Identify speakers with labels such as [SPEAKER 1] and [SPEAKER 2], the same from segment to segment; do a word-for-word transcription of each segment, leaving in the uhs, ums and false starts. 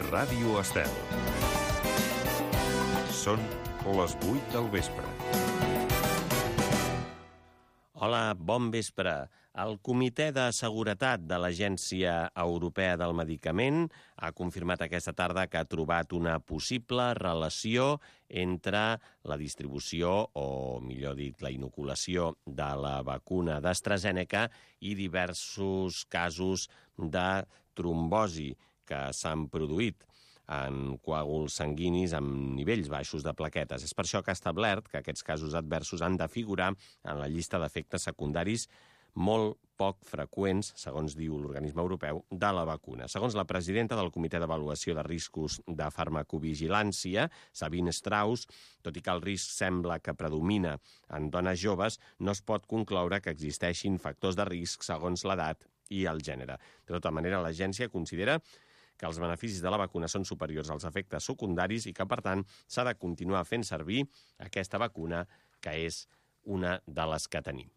[SPEAKER 1] Ràdio Estel. Són les vuit del vespre.
[SPEAKER 2] Hola, bon vespre. El Comitè de Seguretat de l'Agència Europea del Medicament ha confirmat aquesta tarda que ha trobat una possible relació entre la distribució, o millor dit, la inoculació de la vacuna d'AstraZeneca i diversos casos de trombosi que s'han produït en coàguls sanguinis amb nivells baixos de plaquetes. És per això que ha establert que aquests casos adversos han de figurar en la llista d'efectes secundaris molt poc freqüents, segons diu l'organisme europeu, de la vacuna. Segons la presidenta del Comitè d'Avaluació de Riscos de Farmacovigilància, Sabine Strauss, tot i que el risc sembla que predomina en dones joves, no es pot concloure que existeixin factors de risc segons l'edat i el gènere. De tota manera, l'agència considera que els beneficis de la vacuna són superiors als efectes secundaris i que, per tant, s'ha de continuar fent servir aquesta vacuna, que és una de les que tenim.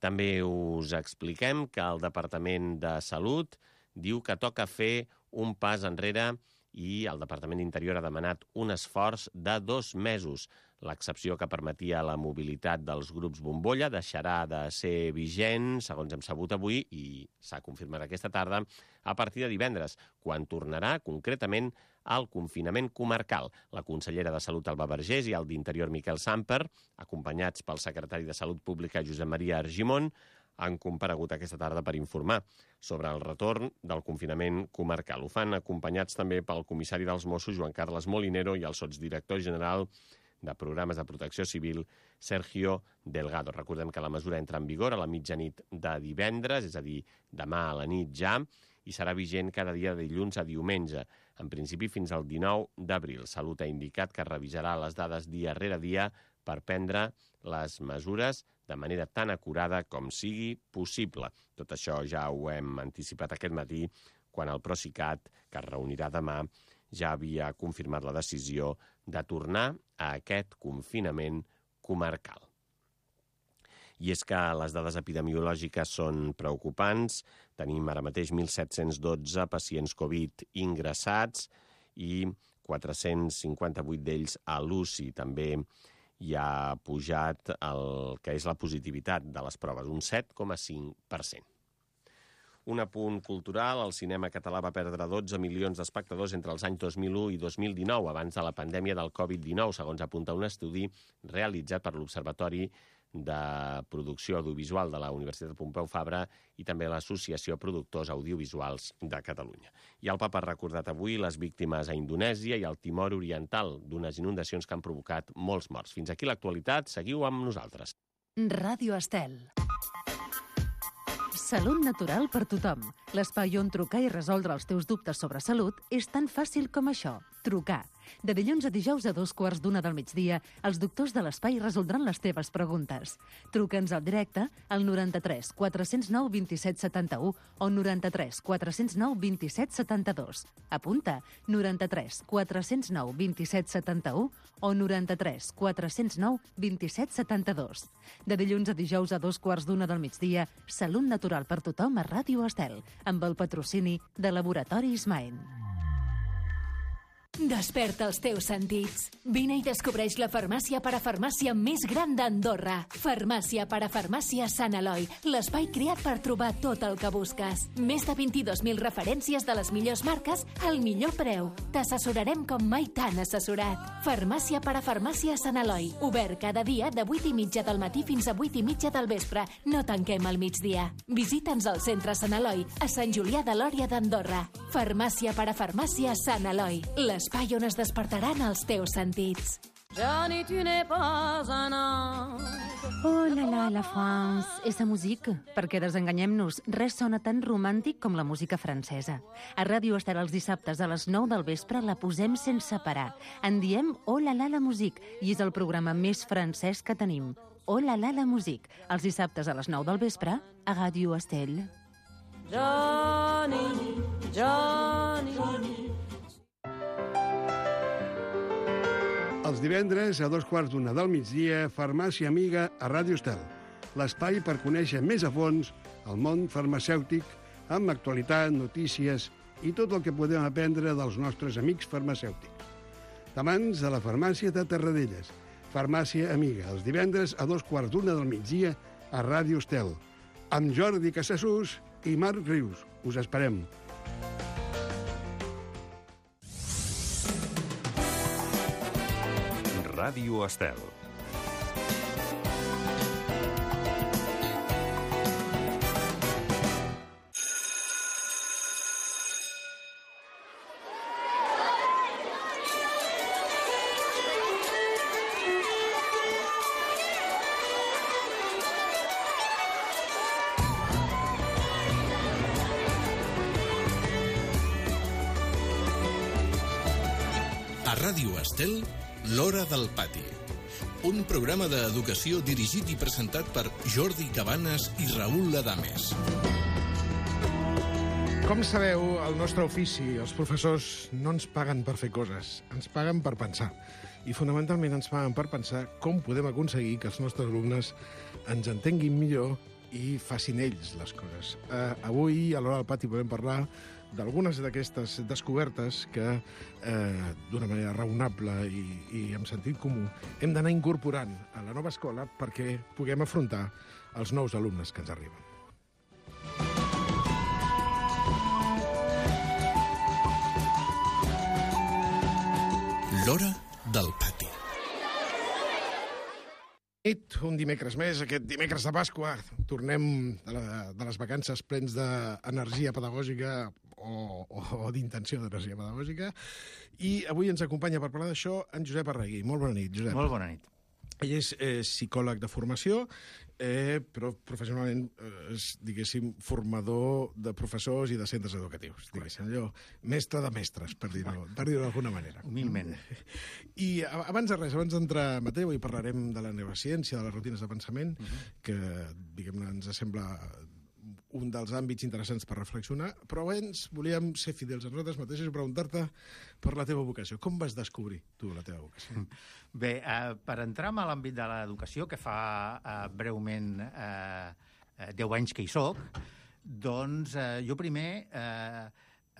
[SPEAKER 2] També us expliquem que el Departament de Salut diu que toca fer un pas enrere i el Departament d'Interior ha demanat un esforç de dos mesos. L'excepció que permetia la mobilitat dels grups bombolla deixarà de ser vigent, segons hem sabut avui, i s'ha confirmat aquesta tarda, a partir de divendres, quan tornarà concretament al confinament comarcal. La consellera de Salut, Alba Vergés, i el d'Interior, Miquel Samper, acompanyats pel secretari de Salut Pública, Josep Maria Argimon, han comparegut aquesta tarda per informar sobre el retorn del confinament comarcal. Ho fan acompanyats també pel comissari dels Mossos, Joan Carles Molinero, i el sotsdirector general de Programes de Protecció Civil, Sergio Delgado. Recordem que la mesura entra en vigor a la mitjanit de divendres, és a dir, demà a la nit ja, i serà vigent cada dia de dilluns a diumenge, en principi fins al dinou d'abril. Salut ha indicat que revisarà les dades dia rere dia per prendre les mesures de manera tan acurada com sigui possible. Tot això ja ho hem anticipat aquest matí, quan el Procicat, que es reunirà demà, ja havia confirmat la decisió de tornar a aquest confinament comarcal. I és que les dades epidemiològiques són preocupants. Tenim ara mateix mil set-cents dotze pacients Covid ingressats i quatre-cents cinquanta-vuit d'ells a l'U C I. També hi ha pujat el que és la positivitat de les proves, un set coma cinc per cent. Un apunt cultural, el cinema català va perdre dotze milions d'espectadors entre els anys dos mil u i dos mil dinou, abans de la pandèmia del Covid dinou, segons apunta un estudi realitzat per l'Observatori de Producció Audiovisual de la Universitat Pompeu Fabra i també l'Associació Productors Audiovisuals de Catalunya. I el Papa ha recordat avui les víctimes a Indonèsia i al Timor Oriental d'unes inundacions que han provocat molts morts. Fins aquí l'actualitat, seguiu amb nosaltres.
[SPEAKER 3] Ràdio Estel. Salut natural per tothom. L'espai on trucar i resoldre els teus dubtes sobre salut és tan fàcil com això. Trucar. De dilluns a dijous a dos quarts d'una del migdia, els doctors de l'espai resoldran les teves preguntes. Truca'ns al directe al noranta-tres quatre zero nou dos set set u o noranta-tres quatre zero nou dos set set dos. Apunta, noranta-tres quatre zero nou dos set set u o noranta-tres quatre zero nou dos set set dos. De dilluns a dijous a dos quarts d'una del migdia, Salut natural per tothom a Ràdio Estel, amb el patrocini de Laboratori Ismael.
[SPEAKER 4] Desperta els teus sentits. Vine i descobreix la farmàcia parafarmàcia més gran d'Andorra. Farmàcia parafarmàcia Sant Eloi, l'espai creat per trobar tot el que busques. Més de vint-i-dos mil referències de les millors marques al millor preu. T'assessorarem com mai t'han assessorat. Farmàcia parafarmàcia Sant Eloi, obert cada dia de vuit i mitja del matí fins a vuit i mitja del vespre. No tanquem al migdia. Visita'ns al centre Sant Eloi, a Sant Julià de Lòria d'Andorra. Farmàcia parafarmàcia Sant Eloi, l'espai on es despertaran els teus sentits.
[SPEAKER 5] Johnny, tu n'es pas un ange.
[SPEAKER 3] Oh la la, la France, esa musique. Perquè desenganyem-nos, res sona tan romàntic com la música francesa. A Ràdio Estel els dissabtes a les nou del vespre la posem sense parar. En diem Oh la la, la musique, i és el programa més francès que tenim. Oh la la, la musique, els dissabtes a les nou del vespre a Ràdio Estel.
[SPEAKER 5] Johnny, Johnny, Johnny.
[SPEAKER 6] Els divendres, a dos quarts d'una del migdia, Farmàcia Amiga a Ràdio Estel. L'espai per conèixer més a fons el món farmacèutic amb actualitat, notícies i tot el que podem aprendre dels nostres amics farmacèutics. Tamans de la farmàcia de Terradellas. Farmàcia Amiga, els divendres a dos quarts d'una del migdia a Ràdio Estel. Amb Jordi Casassús i Marc Rius. Us esperem.
[SPEAKER 1] Ràdio Estel.
[SPEAKER 7] A Ràdio Estel, L'Hora del Pati. Un programa d'educació dirigit i presentat per Jordi Cabanes i Raül Adames.
[SPEAKER 8] Com sabeu, el nostre ofici, els professors, no ens paguen per fer coses, ens paguen per pensar. I fonamentalment ens paguen per pensar com podem aconseguir que els nostres alumnes ens entenguin millor i facin ells les coses. Uh, avui, a l'Hora del Pati, podem parlar d'algunes d'aquestes descobertes que, eh, d'una manera raonable i, i amb sentit comú, hem d'anar incorporant a la nova escola perquè puguem afrontar els nous alumnes que ens arriben.
[SPEAKER 7] L'Hora del Pati.
[SPEAKER 8] Un dimecres més, aquest dimecres de Pasqua, tornem de, la, de les vacances plens d'energia pedagògica o, o, o d'intenció d'energia pedagògica, i avui ens acompanya per parlar d'això en Josep Arregui. Molt bona nit, Josep.
[SPEAKER 9] Molt bona nit.
[SPEAKER 8] Ell és eh, psicòleg de formació, eh, però professionalment eh, és, diguéssim, formador de professors i de centres educatius. Diguéssim, allò, mestre de mestres, per dir-ho per dir-ho d'alguna manera.
[SPEAKER 9] Humilment.
[SPEAKER 8] I abans de res, abans d'entrar en matèria, avui parlarem de la neurociència, de les rutines de pensament, uh-huh. que, diguem-ne, ens sembla un dels àmbits interessants per reflexionar, però abans volíem ser fidels a nosaltres mateixos i preguntar-te per la teva vocació. Com vas descobrir tu la teva vocació?
[SPEAKER 9] Bé, eh, per entrar a l'àmbit de l'educació, que fa eh, breument eh, deu anys que hi soc, doncs eh, jo primer eh,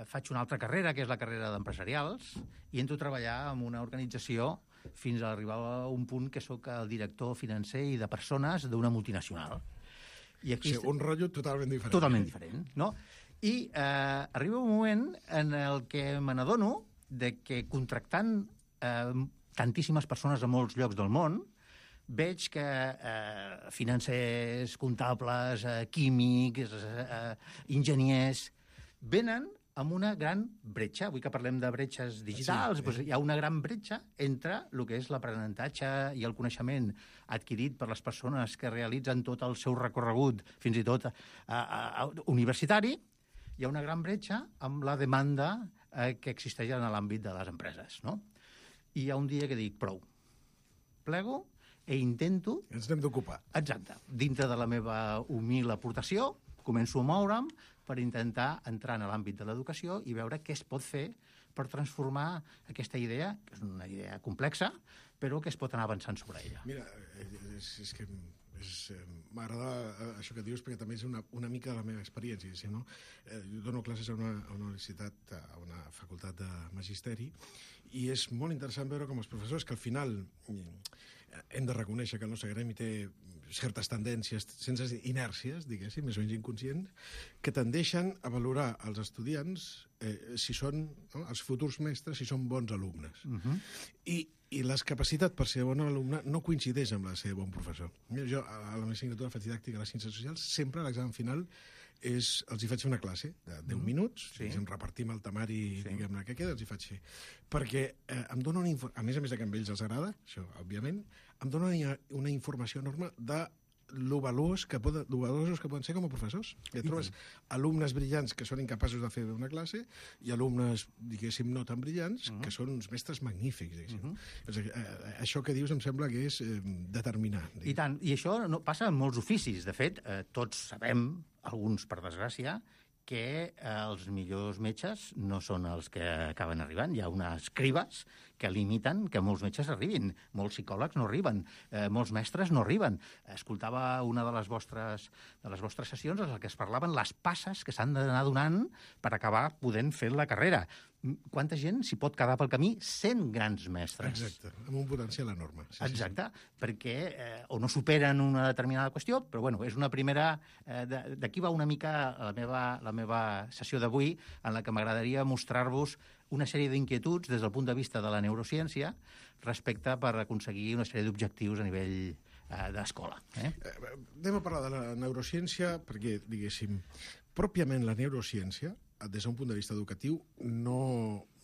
[SPEAKER 9] faig una altra carrera, que és la carrera d'empresarials, i entro a treballar en una organització fins a arribar a un punt que sóc el director financer i de persones d'una multinacional. I aquí
[SPEAKER 8] o sigui, un rotllo totalment diferent.
[SPEAKER 9] Totalment diferent, no? I eh, arriba un moment en el que me n'adono de que contractant eh, tantíssimes persones a molts llocs del món, veig que eh, financers, comptables, eh, químics, eh, enginyers, venen amb una gran bretxa. Avui que parlem de bretxes digitals, sí, doncs hi ha una gran bretxa entre el que és l'aprenentatge i el coneixement adquirit per les persones que realitzen tot el seu recorregut, fins i tot a, a, a, universitari. Hi ha una gran bretxa amb la demanda eh, que existeix en l'àmbit de les empreses, no? I hi ha un dia que dic, prou, plego i intento...
[SPEAKER 8] Ens n'hem d'ocupar.
[SPEAKER 9] Exacte. Dintre de la meva humil aportació, començo a moure'm per intentar entrar en l'àmbit de l'educació i veure què es pot fer per transformar aquesta idea, que és una idea complexa, però que es pot anar avançant sobre ella.
[SPEAKER 8] Mira, és, és que m'agrada això que dius, perquè també és una, una mica de la meva experiència. Si no? eh, jo dono classes a una, a una universitat, a una facultat de magisteri, i és molt interessant veure com els professors, que al final hem de reconèixer que el nostre gremi té certes tendències, sense inèrcies, diguéssim, més o menys inconscients, que tendeixen a valorar els estudiants eh, si són, no, els futurs mestres, si són bons alumnes. Uh-huh. I, I les capacitats per ser bon alumne no coincideix amb la de ser bon professor. Jo, a la meva assignatura faig didàctica a les ciències socials, sempre a l'examen final és, els hi faig fer una classe de deu minuts, sí. Ens repartim el temari, sí. Diguem-ne, que queda, els hi faig fer. Perquè eh, em dona una informació, a més a més de que a ells els agrada, això, òbviament, em dona una, una informació enorme de lo valuós que poden, lo valuosos que poden ser com a professors. I et trobes alumnes brillants que són incapaços de fer una classe i alumnes, diguéssim, no tan brillants, uh-huh. que són uns mestres magnífics, diguéssim. Uh-huh. És, eh, això que dius em sembla que és eh, determinant.
[SPEAKER 9] Diguéssim. I tant, i això no, passa en molts oficis. De fet, eh, tots sabem, alguns per desgràcia, que els millors metges no són els que acaben arribant. Hi ha unes cribes que limiten que molts metges arribin. Molts psicòlegs no arriben. Eh, molts mestres no arriben. Escoltava una de les vostres, de les vostres sessions en què es parlaven les passes que s'han d'anar donant per acabar podent fer la carrera. Quanta gent s'hi pot quedar pel camí sent grans mestres?
[SPEAKER 8] Exacte, amb un potencial enorme. Sí,
[SPEAKER 9] Exacte,
[SPEAKER 8] sí, sí.
[SPEAKER 9] perquè eh, o no superen una determinada qüestió, però bueno, és una primera... Eh, D'aquí va una mica la meva, la meva sessió d'avui, en la que m'agradaria mostrar-vos una sèrie d'inquietuds des del punt de vista de la neurociència respecte per aconseguir una sèrie d'objectius a nivell eh, d'escola. Eh?
[SPEAKER 8] Eh, anem a parlar de la neurociència perquè, diguéssim, pròpiament la neurociència, des d'un punt de vista educatiu, no,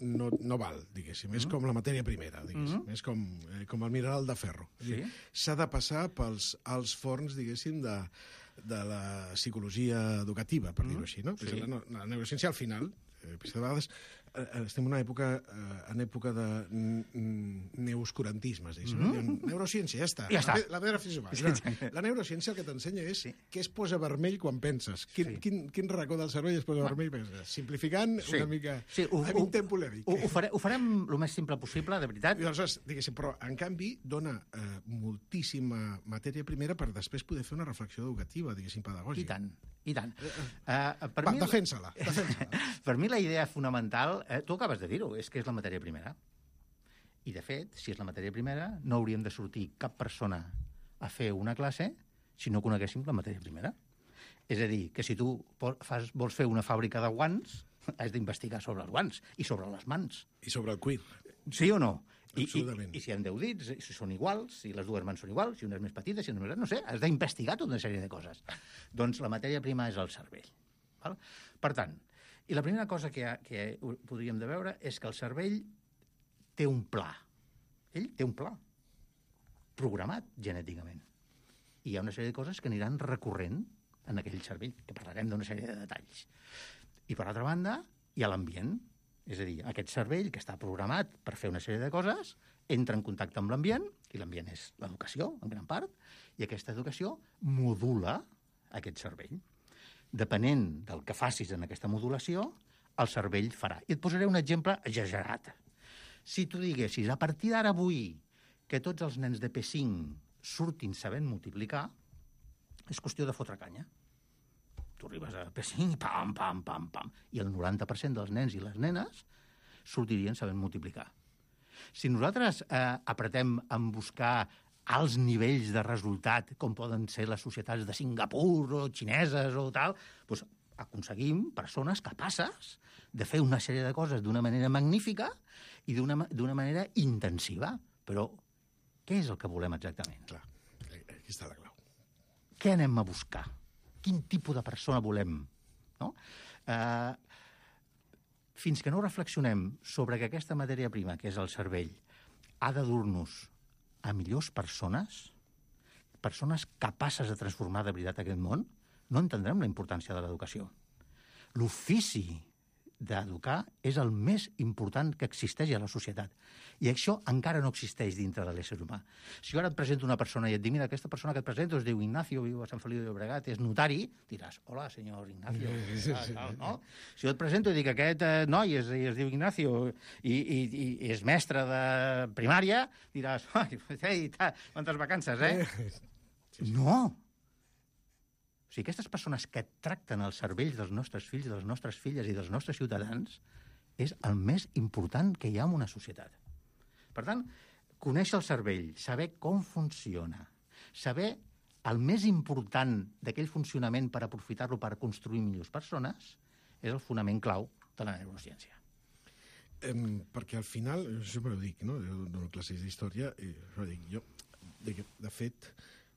[SPEAKER 8] no, no val, diguéssim. Mm-hmm. És com la matèria primera, diguéssim. Mm-hmm. És com, eh, com el mineral de ferro. Sí? S'ha de passar pels als forns, diguéssim, de, de la psicologia educativa, per mm-hmm. dir-ho així, no? Sí. La, la neurociència, al final, eh, de vegades, eh, estem en una època, eh, en època de neoscurantismes, diguéssim. Mm-hmm. Neurociència, ja està.
[SPEAKER 9] Ja està.
[SPEAKER 8] La, la pedra filosofal. Sí. La neurociència el que t'ensenya és sí. què es posa vermell quan penses. Quin, sí. quin, quin racó del cervell es posa Va. vermell quan penses. Simplificant sí. una mica...
[SPEAKER 9] Sí, ho,
[SPEAKER 8] ho, ho,
[SPEAKER 9] ho, farem, ho farem el més simple possible, de veritat.
[SPEAKER 8] I aleshores, diguéssim, però, en canvi, dona eh, moltíssima matèria primera per després poder fer una reflexió educativa, diguéssim, pedagògica.
[SPEAKER 9] I tant, i tant.
[SPEAKER 8] Uh, per Va, mi, defensa-la. defensa-la.
[SPEAKER 9] Per mi la idea fonamental, eh, tu acabes de dir-ho, és que és la matèria primera. I, de fet, si és la matèria primera, no hauríem de sortir cap persona a fer una classe si no coneguéssim la matèria primera. És a dir, que si tu fas, vols fer una fàbrica de guants, has d'investigar sobre els guants i sobre les mans.
[SPEAKER 8] I sobre el cuir.
[SPEAKER 9] Sí o no? I, i, I si hi ha deu dits, si són iguals, si les dues mans són iguals, si una és més petita, si una és més gran, no sé, has d'investigar tota una sèrie de coses. Doncs la matèria prima és el cervell. Val? Per tant, i la primera cosa que, que podríem de veure és que el cervell té un pla. Ell té un pla programat genèticament. I hi ha una sèrie de coses que aniran recorrent en aquell cervell, que parlarem d'una sèrie de detalls. I, per altra banda, hi ha l'ambient. És a dir, aquest cervell que està programat per fer una sèrie de coses entra en contacte amb l'ambient, i l'ambient és l'educació, en gran part, i aquesta educació modula aquest cervell. Depenent del que facis en aquesta modulació, el cervell farà. I et posaré un exemple exagerat. Si tu diguessis, a partir d'ara avui, que tots els nens de P cinc surtin sabent multiplicar, és qüestió de fotre canya. Tu arribes a P cinc i pam, pam, pam, pam. I el noranta per cent dels nens i les nenes sortirien sabent multiplicar. Si nosaltres eh, apretem en buscar alts nivells de resultat, com poden ser les societats de Singapur o xineses o tal, doncs aconseguim persones capaces de fer una sèrie de coses d'una manera magnífica i d'una manera intensiva. Però què és el que volem exactament?
[SPEAKER 8] Clar, aquí està la clau.
[SPEAKER 9] Què anem a buscar? Quin tipus de persona volem? No? Eh, fins que no reflexionem sobre que aquesta matèria prima, que és el cervell, ha de dur-nos a millors persones, persones capaces de transformar de veritat aquest món, no entendrem la importància de l'educació. L'ofici d'educar és el més important que existeix a la societat. I això encara no existeix dintre de l'ésser humà. Si jo ara et presento una persona i et dic, mira, aquesta persona que et presento es diu Ignacio, viu a Sant Feliu de Llobregat, és notari, diràs, hola, senyor Ignacio. Sí, sí, sí. No? Si jo et presento i dic, aquest eh, noi es, es diu Ignacio i, i, i és mestre de primària, diràs, ai, ei, ta, quantes vacances, eh? Sí, sí. No! O sigui, aquestes persones que tracten els cervells dels nostres fills, de les nostres filles i dels nostres ciutadans és el més important que hi ha en una societat. Per tant, conèixer el cervell, saber com funciona, saber el més important d'aquell funcionament per aprofitar-lo per construir millors persones, és el fonament clau de la neurociència.
[SPEAKER 8] Eh, perquè al final, jo sempre ho dic, no? Jo dono classes d'història i jo dic, jo, de, de fet,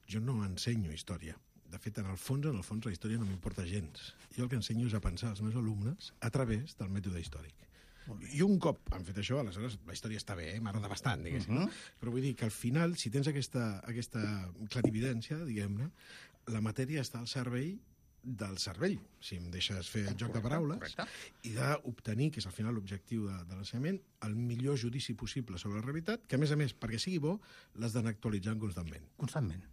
[SPEAKER 8] jo no ensenyo història. De fet, en el fons, en el fons, la història no m'importa gens. Jo el que ensenyo és a pensar als meus alumnes a través del mètode històric. I un cop han fet això, aleshores la història està bé, eh? M'agrada bastant, diguéssim. Uh-huh. Però vull dir que al final, si tens aquesta, aquesta clarividència, diguem-ne, la matèria està al servei del cervell, si em deixes fer el joc de paraules, correcte. I d'obtenir, que és al final l'objectiu de, de l'ensenyament, el millor judici possible sobre la realitat, que a més a més, perquè sigui bo, l'has d'anar actualitzant constantment.
[SPEAKER 9] Constantment.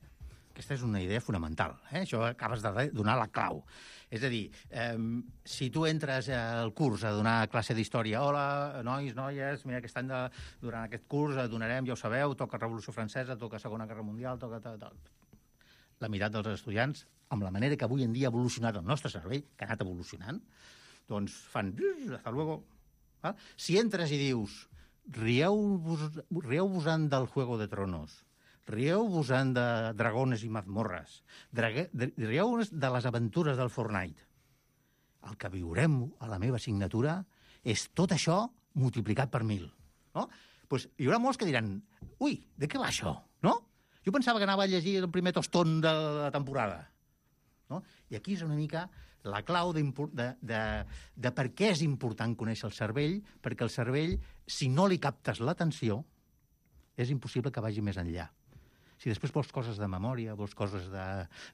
[SPEAKER 9] aquesta és una idea fonamental. Eh? Això acabes de donar la clau. És a dir, eh, si tu entres al curs a donar classe d'història, hola, nois, noies, mira, aquest any de, durant aquest curs donarem, ja ho sabeu, toca Revolució Francesa, toca Segona Guerra Mundial, toca tal, tal. La meitat dels estudiants, amb la manera que avui en dia ha evolucionat el nostre cervell, que ha anat evolucionant, doncs fan... hasta luego. Ah? Si entres i dius, rieu-vos, rieu-vos-en del Juego de Tronos, rieu-vos-en de dragones i mazmorres, rieu-vos de les aventures del Fortnite. El que viurem a la meva assignatura és tot això multiplicat per mil. No? Pues hi haurà molts que diran, ui, de què va això? No? Jo pensava que anava a llegir el primer tostón de la temporada. No? I aquí és una mica la clau de, de, de, de per què és important conèixer el cervell, perquè el cervell, si no li captes l'atenció, és impossible que vagi més enllà. Si després vols coses de memòria, vols coses de,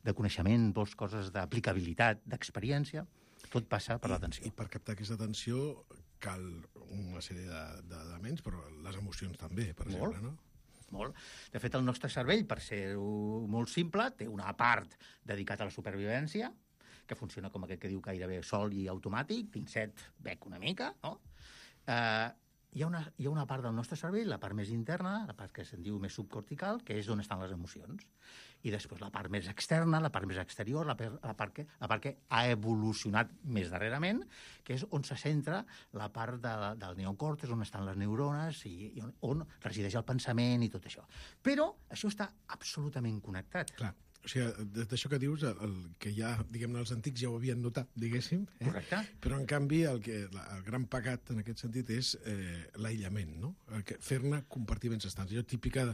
[SPEAKER 9] de coneixement, vols coses d'aplicabilitat, d'experiència, tot passa per l'atenció.
[SPEAKER 8] I per captar aquesta atenció cal una sèrie d'elements, però les emocions també, per
[SPEAKER 9] Molt.
[SPEAKER 8] exemple, no?
[SPEAKER 9] Molt. De fet, el nostre cervell, per ser molt simple, té una part dedicada a la supervivència, que funciona com aquest que diu gairebé sol i automàtic, pinzet, bec una mica, no? Eh, hi ha, una, hi ha una part del nostre cervell, la part més interna, la part que se'n diu més subcortical, que és on estan les emocions. I després la part més externa, la part més exterior, la, per, la, part que, la part que ha evolucionat més darrerament, que és on se centra la part de, del neocortex, on estan les neurones i, i on, on resideix el pensament i tot això. Però això està absolutament connectat.
[SPEAKER 8] Clar. O sigui, d'això que dius, el, el que ja, diguem-ne, els antics ja ho havien notat, diguéssim. Eh?
[SPEAKER 9] Correcte.
[SPEAKER 8] Però, en canvi, el, que, la, el gran pecat en aquest sentit és eh, l'aïllament, no? Fer-ne compartiments estants. Allò típica,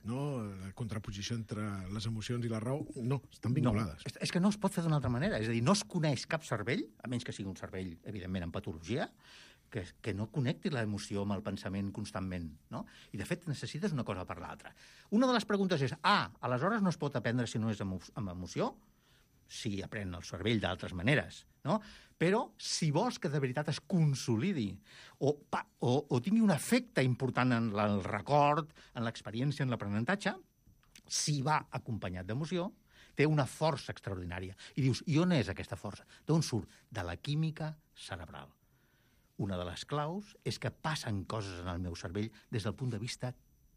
[SPEAKER 8] no? La contraposició entre les emocions i la raó, no, estan vinculades.
[SPEAKER 9] No, és que no es pot fer d'una altra manera. És a dir, no es coneix cap cervell, a menys que sigui un cervell, evidentment, en patologia, que, que no connecti l'emoció amb el pensament constantment, no? I, de fet, necessites una cosa per l'altra. Una de les preguntes és, ah, aleshores no es pot aprendre si no és amb, amb emoció? Sí, aprèn el cervell d'altres maneres, no? Però, si vols que de veritat es consolidi o, pa, o, o tingui un efecte important en la, el record, en l'experiència, en l'aprenentatge, si va acompanyat d'emoció, té una força extraordinària. I dius, i on és aquesta força? D'on surt? De la química cerebral. Una de les claus és que passen coses en el meu cervell des del punt de vista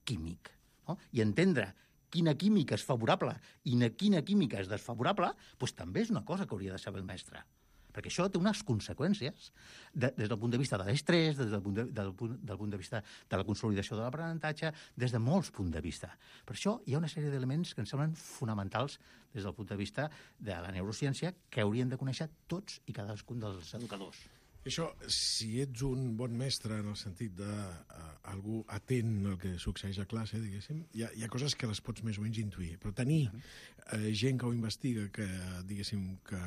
[SPEAKER 9] químic. No? I entendre quina química és favorable i quina química és desfavorable, doncs també és una cosa que hauria de saber el mestre. Perquè això té unes conseqüències de, des del punt de vista de l'estrès, des del punt de, del, punt, del punt de vista de la consolidació de l'aprenentatge, des de molts punts de vista. Per això hi ha una sèrie d'elements que ens semblen fonamentals des del punt de vista de la neurociència que haurien de conèixer tots i cadascun dels educadors.
[SPEAKER 8] Això, si ets un bon mestre en el sentit d'algú uh, atent al que succeeix a classe, diguéssim, hi ha, hi ha coses que les pots més o menys intuir, però tenir uh, gent que ho investiga, que, diguéssim, que,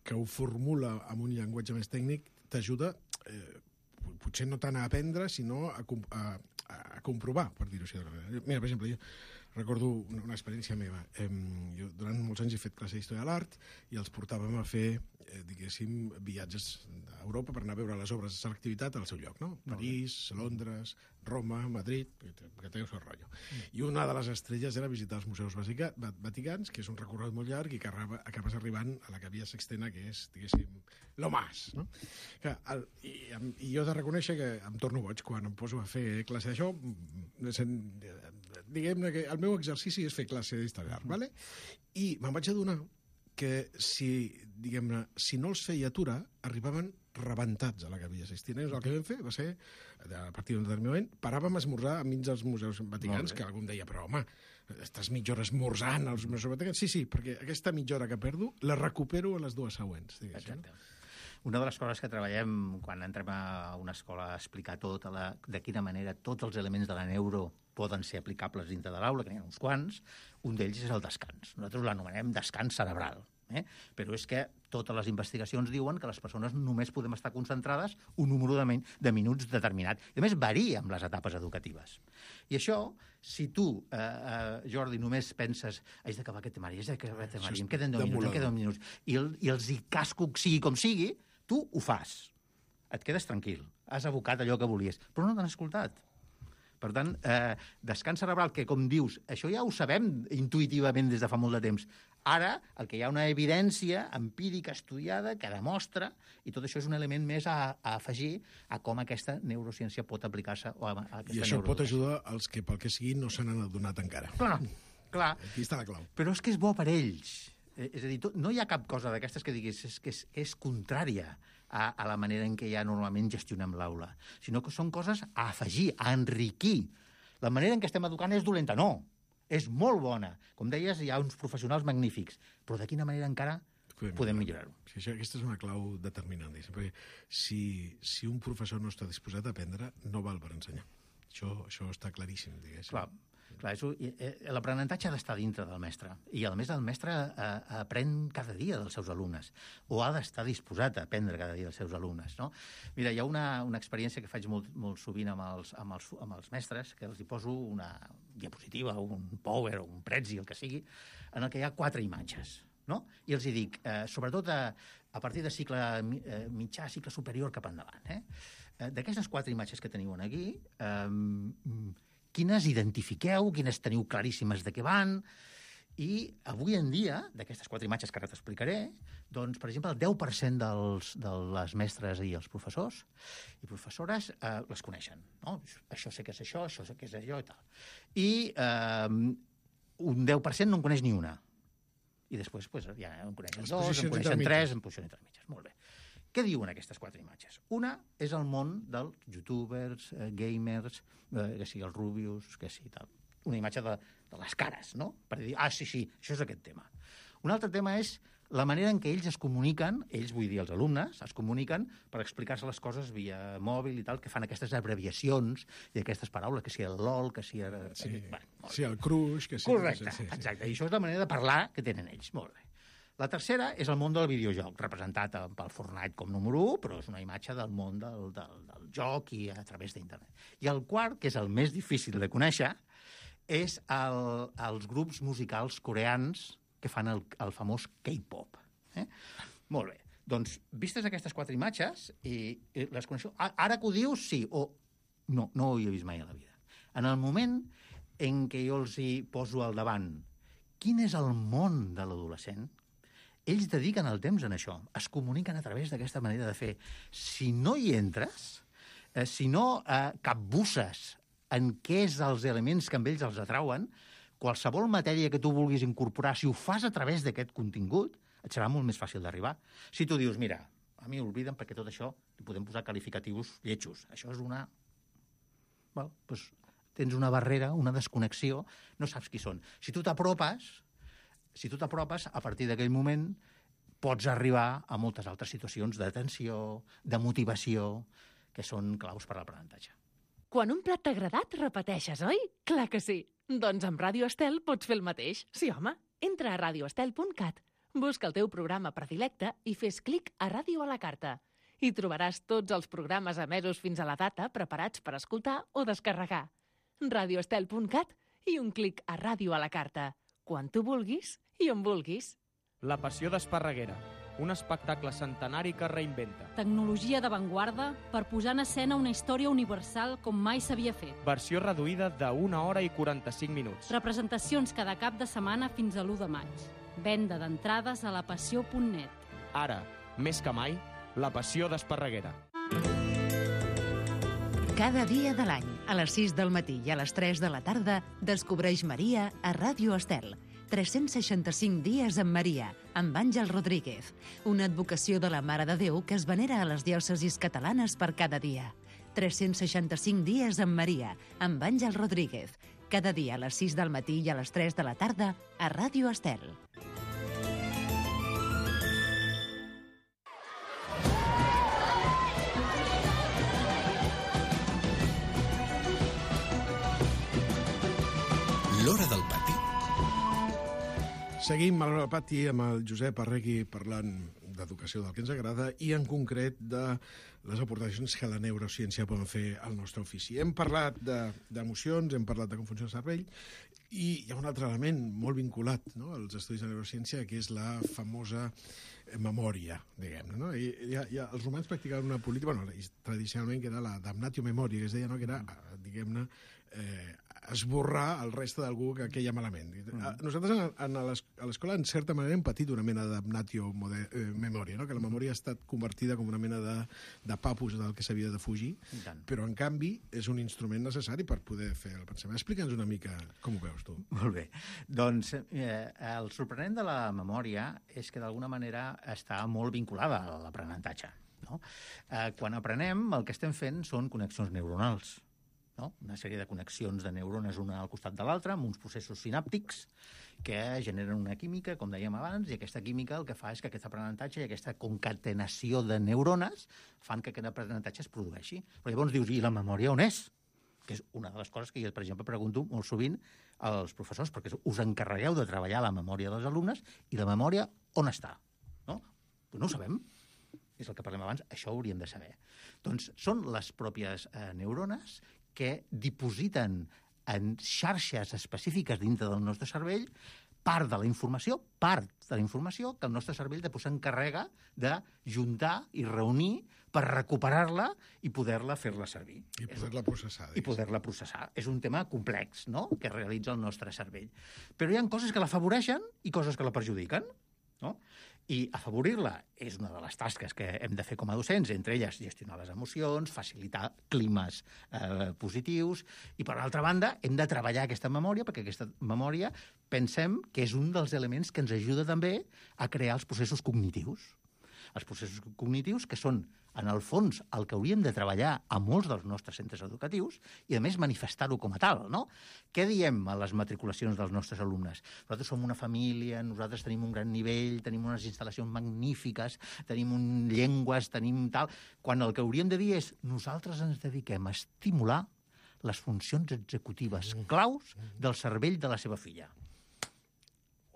[SPEAKER 8] que ho formula amb un llenguatge més tècnic, t'ajuda, eh, potser no tant a aprendre, sinó a, a, a comprovar, per dir-ho així. Mira, per exemple, jo recordo una, una experiència meva. Eh, jo durant molts anys he fet classe d'Història de l'Art i els portàvem a fer, eh, diguéssim, viatges a Europa per anar a veure les obres de selectivitat al seu lloc, no? París, Londres, Roma, Madrid, que té el seu rotllo. Mm. I una de les estrelles era visitar els museus vaticans, que és un recorregut molt llarg i que acabes arribant a la Capella Sixtina, que és, diguéssim, lo más, no? Que el, i, I jo he de reconèixer que em torno boig quan em poso a fer classe d'això. Diguem-ne que el meu exercici és fer classe d'història d'art, ¿vale? I me'n vaig adonar que si, diguem-ne, si no els feia aturar, arribaven rebentats a la Capella Sixtina. El que vam fer va ser, a partir d'un determinat moment, paràvem a esmorzar enmig dels museus vaticans, que algú em deia, però home, estàs mitja hora esmorzant als museus vaticans? Sí, sí, perquè aquesta mitja hora que perdo la recupero a les dues següents.
[SPEAKER 9] Exacte. No? Una de les coses que treballem quan entrem a una escola a explicar tot, a la, de quina manera tots els elements de la neuro poden ser aplicables dintre de l'aula, que n'hi ha uns quants, un d'ells és el descans. Nosaltres l'anomenem descans cerebral. Eh? Però és que totes les investigacions diuen que les persones només podem estar concentrades un número de, de minuts determinat. I a més, varia amb les etapes educatives. I això, si tu, eh, eh, Jordi, només penses haig d'acabar aquest temari, haig d'acabar aquest temari, em queden deu minuts, em queden deu minuts, i, el, i els hi casco sigui com sigui, tu ho fas. Et quedes tranquil. Has abocat allò que volies, però no t'han escoltat. Per tant, eh, descans cerebral, que com dius, això ja ho sabem intuïtivament des de fa molt de temps. Ara, el que hi ha una evidència empírica estudiada que demostra, i tot això és un element més a, a afegir a com aquesta neurociència pot aplicar-se. O a, a
[SPEAKER 8] I això pot ajudar als que, pel que sigui, no se n'han adonat encara.
[SPEAKER 9] Clar, clar.
[SPEAKER 8] Aquí està la clau.
[SPEAKER 9] Però és que és bo per ells. És a dir, no hi ha cap cosa d'aquestes que diguis és que és, és contrària a, a la manera en què ja normalment gestionem l'aula, sinó que són coses a afegir, a enriquir. La manera en què estem educant és dolenta, no. És molt bona. Com deies, hi ha uns professionals magnífics, però de quina manera encara podem, podem millorar-ho.
[SPEAKER 8] Sí, això, aquesta és una clau determinant. Perquè si, si un professor no està disposat a aprendre, no val per ensenyar. Això, això està claríssim, diguéssim.
[SPEAKER 9] Clar. L'aprenentatge ha d'estar dintre del mestre i, a més, el mestre eh, aprèn cada dia dels seus alumnes o ha d'estar disposat a aprendre cada dia dels seus alumnes, no? Mira, hi ha una, una experiència que faig molt, molt sovint amb els, amb, els, amb els mestres, que els hi poso una diapositiva, un power o un Prezi, el que sigui, en el que hi ha quatre imatges, no? I els hi dic, eh, sobretot a, a partir de cicle eh, mitjà, cicle superior cap endavant, eh? D'aquestes quatre imatges que teniu aquí, eh, quines identifiqueu, quines teniu claríssimes de què van, i avui en dia, d'aquestes quatre imatges que ara t'explicaré, doncs, per exemple, el deu per cent dels, de les mestres i els professors i professores eh, les coneixen, no? Això sé que és això, això sé que és allò i tal. I eh, un deu per cent no en coneix ni una. I després pues, ja en coneixen dos, en coneixen tres, en posició entre mitges. Molt bé. Què diuen aquestes quatre imatges? Una és el món dels youtubers, eh, gamers, eh, que sigui els Rubius, que sigui tal. Una imatge de, de les cares, no? Per dir, ah, sí, sí, això és aquest tema. Un altre tema és la manera en què ells es comuniquen, ells vull dir els alumnes, es comuniquen per explicar-se les coses via mòbil i tal, que fan aquestes abreviacions i aquestes paraules, que sigui el LOL, que sigui...
[SPEAKER 8] Sí,
[SPEAKER 9] bueno,
[SPEAKER 8] sí el cruix, que sigui...
[SPEAKER 9] Correcte,
[SPEAKER 8] sí, sí.
[SPEAKER 9] exacte. I això és la manera de parlar que tenen ells. Molt bé. La tercera és el món del videojoc, representat pel Fortnite com número u, però és una imatge del món del, del, del joc i a través d'internet. I el quart, que és el més difícil de conèixer, és el, els grups musicals coreans que fan el, el famós K-pop. Eh? Molt bé. Doncs, vistes aquestes quatre imatges, i, i les coneixeu... Ara que ho dius, sí, o no, no ho he vist mai a la vida. En el moment en què jo els hi poso al davant quin és el món de l'adolescent, ells dediquen el temps en això, es comuniquen a través d'aquesta manera de fer. Si no hi entres, eh, si no eh, capbusses en què és els elements que amb ells els atrauen, qualsevol matèria que tu vulguis incorporar, si ho fas a través d'aquest contingut, et serà molt més fàcil d'arribar. Si tu dius, mira, a mi obliden perquè tot això li podem posar qualificatius lletjos. Això és una... Well, doncs tens una barrera, una desconnexió, no saps qui són. Si tu t'apropes... Si tu t'apropes, a partir d'aquell moment pots arribar a moltes altres situacions d'atenció, de motivació, que són claus per a l'aprenentatge.
[SPEAKER 10] Quan un plat t'ha agradat, repeteixes, oi? Clar que sí. Doncs amb Ràdio Estel pots fer el mateix. Sí, home. Entra a radio estel punt cat, busca el teu programa predilecte i fes clic a Ràdio a la carta. Hi trobaràs tots els programes emesos fins a la data preparats per escoltar o descarregar. radio estel punt cat i un clic a Ràdio a la carta. Quan tu vulguis i on vulguis.
[SPEAKER 11] La passió d'Esparreguera, un espectacle centenari que reinventa.
[SPEAKER 5] Tecnologia d'avantguarda per posar en escena una història universal com mai s'havia fet.
[SPEAKER 11] Versió reduïda d'una hora i quaranta-cinc minuts.
[SPEAKER 5] Representacions cada cap de setmana fins a l'u de maig. Venda d'entrades a la passió punt net.
[SPEAKER 11] Ara, més que mai, la passió d'Esparreguera.
[SPEAKER 3] Cada dia de l'any, a les sis del matí i a les tres de la tarda, descobreix Maria a Ràdio Estel. tres-cents seixanta-cinc dies amb Maria, amb Àngel Rodríguez. Una advocació de la Mare de Déu que es venera a les diòcesis catalanes per cada dia. tres-cents seixanta-cinc dies amb Maria, amb Àngel Rodríguez. Cada dia a les sis del matí i a les tres de la tarda a Ràdio Estel.
[SPEAKER 7] L'Hora del Pati.
[SPEAKER 8] Seguim a l'Hora del Pati amb el Josep Arregui parlant d'educació, del que ens agrada, i en concret de les aportacions que la neurociència poden fer al nostre ofici. Hem parlat d'emocions, hem parlat de com funciona el cervell, I hi ha un altre element molt vinculat, no?, als estudis de neurociència, que és la famosa memòria, diguem-ne, no? I, ja, ja, els romans practicaven una política, bueno, tradicionalment, que era la damnatio memoria, que es deia, no?, que era, diguem-ne, eh, esborrar el reste d'algú que queia malament. Mm. Nosaltres a l'escola, en certa manera, hem patit una mena de damnatio eh, memòria, no?, que la memòria ha estat convertida com una mena de, de papus del que s'havia de fugir, però, en canvi, és un instrument necessari per poder fer el pensament. Explica'ns una mica com ho veus, tu.
[SPEAKER 9] Molt bé. Doncs eh, el sorprenent de la memòria és que, d'alguna manera, està molt vinculada a l'aprenentatge. No? Eh, quan aprenem, el que estem fent són connexions neuronals. No? Una sèrie de connexions de neurones una al costat de l'altra, amb uns processos sinàptics que generen una química, com dèiem abans, i aquesta química el que fa és que aquest aprenentatge i aquesta concatenació de neurones fan que aquest aprenentatge es produeixi. Però llavors dius, i la memòria on és? Que és una de les coses que jo, per exemple, pregunto molt sovint als professors, perquè us encarregueu de treballar la memòria dels alumnes, i la memòria on està? No? Pues no ho sabem. És el que parlem abans, això ho hauríem de saber. Doncs són les pròpies eh, neurones que dipositen en xarxes específiques dintre del nostre cervell part de la informació, part de la informació que el nostre cervell després s'encarrega de juntar i reunir per recuperar-la i poder-la fer-la servir.
[SPEAKER 8] I poder-la processar.
[SPEAKER 9] I poder-la processar. És un tema complex, no?, que realitza el nostre cervell. Però hi ha coses que l'afavoreixen i coses que la perjudiquen, no? I afavorir-la és una de les tasques que hem de fer com a docents, entre elles gestionar les emocions, facilitar climes eh, positius, i per altra banda hem de treballar aquesta memòria, perquè aquesta memòria pensem que és un dels elements que ens ajuda també a crear els processos cognitius. Els processos cognitius que són, en el fons, el que hauríem de treballar a molts dels nostres centres educatius i, a més, manifestar-ho com a tal, no? Què diem a les matriculacions dels nostres alumnes? Nosaltres som una família, nosaltres tenim un gran nivell, tenim unes instal·lacions magnífiques, tenim un llengües, tenim tal... Quan el que hauríem de dir és nosaltres ens dediquem a estimular les funcions executives claus del cervell de la seva filla.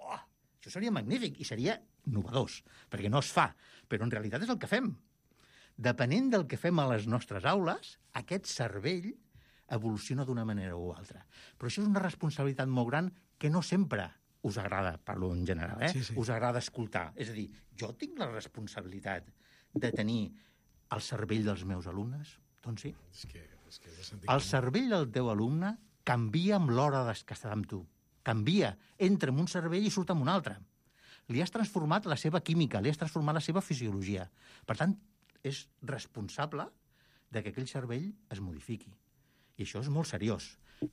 [SPEAKER 9] Oh, això seria magnífic i seria innovadors, perquè no es fa, però en realitat és el que fem. Depenent del que fem a les nostres aules, aquest cervell evoluciona d'una manera o altra. Però això és una responsabilitat molt gran que no sempre us agrada, parlo en general, eh? Sí, sí. Us agrada escoltar. És a dir, jo tinc la responsabilitat de tenir el cervell dels meus alumnes? Doncs sí.
[SPEAKER 8] És que, és que és
[SPEAKER 9] el cervell del teu alumne canvia amb l'hora que està amb tu. Canvia. Entra en un cervell i surt en un altre. Li has transformat la seva química, li has transformat la seva fisiologia. Per tant, és responsable de que aquell cervell es modifiqui. I això és molt seriós.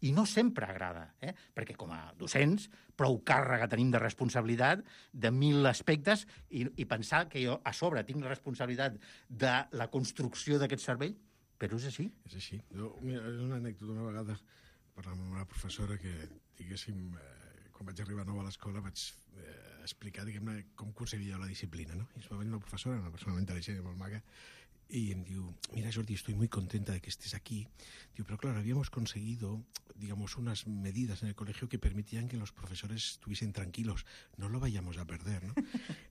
[SPEAKER 9] I no sempre agrada, eh? Perquè com a docents prou càrrega tenim de responsabilitat de mil aspectes i, i pensar que jo a sobre tinc la responsabilitat de la construcció d'aquest cervell, però és així.
[SPEAKER 8] És així. Jo, mira, és una anècdota. Una vegada parlant amb una professora que, diguéssim, eh, quan vaig arribar nou a l'escola vaig eh, explicar, diguem-ne, com concebia la disciplina, no? I es va venir una professora, una persona molt intel·ligent i molt maca, y em diu, mira Jordi, estoy muy contenta de que estés aquí. Digo, pero claro, habíamos conseguido, digamos, unas medidas en el colegio que permitían que los profesores estuviesen tranquilos. No lo vayamos a perder, ¿no?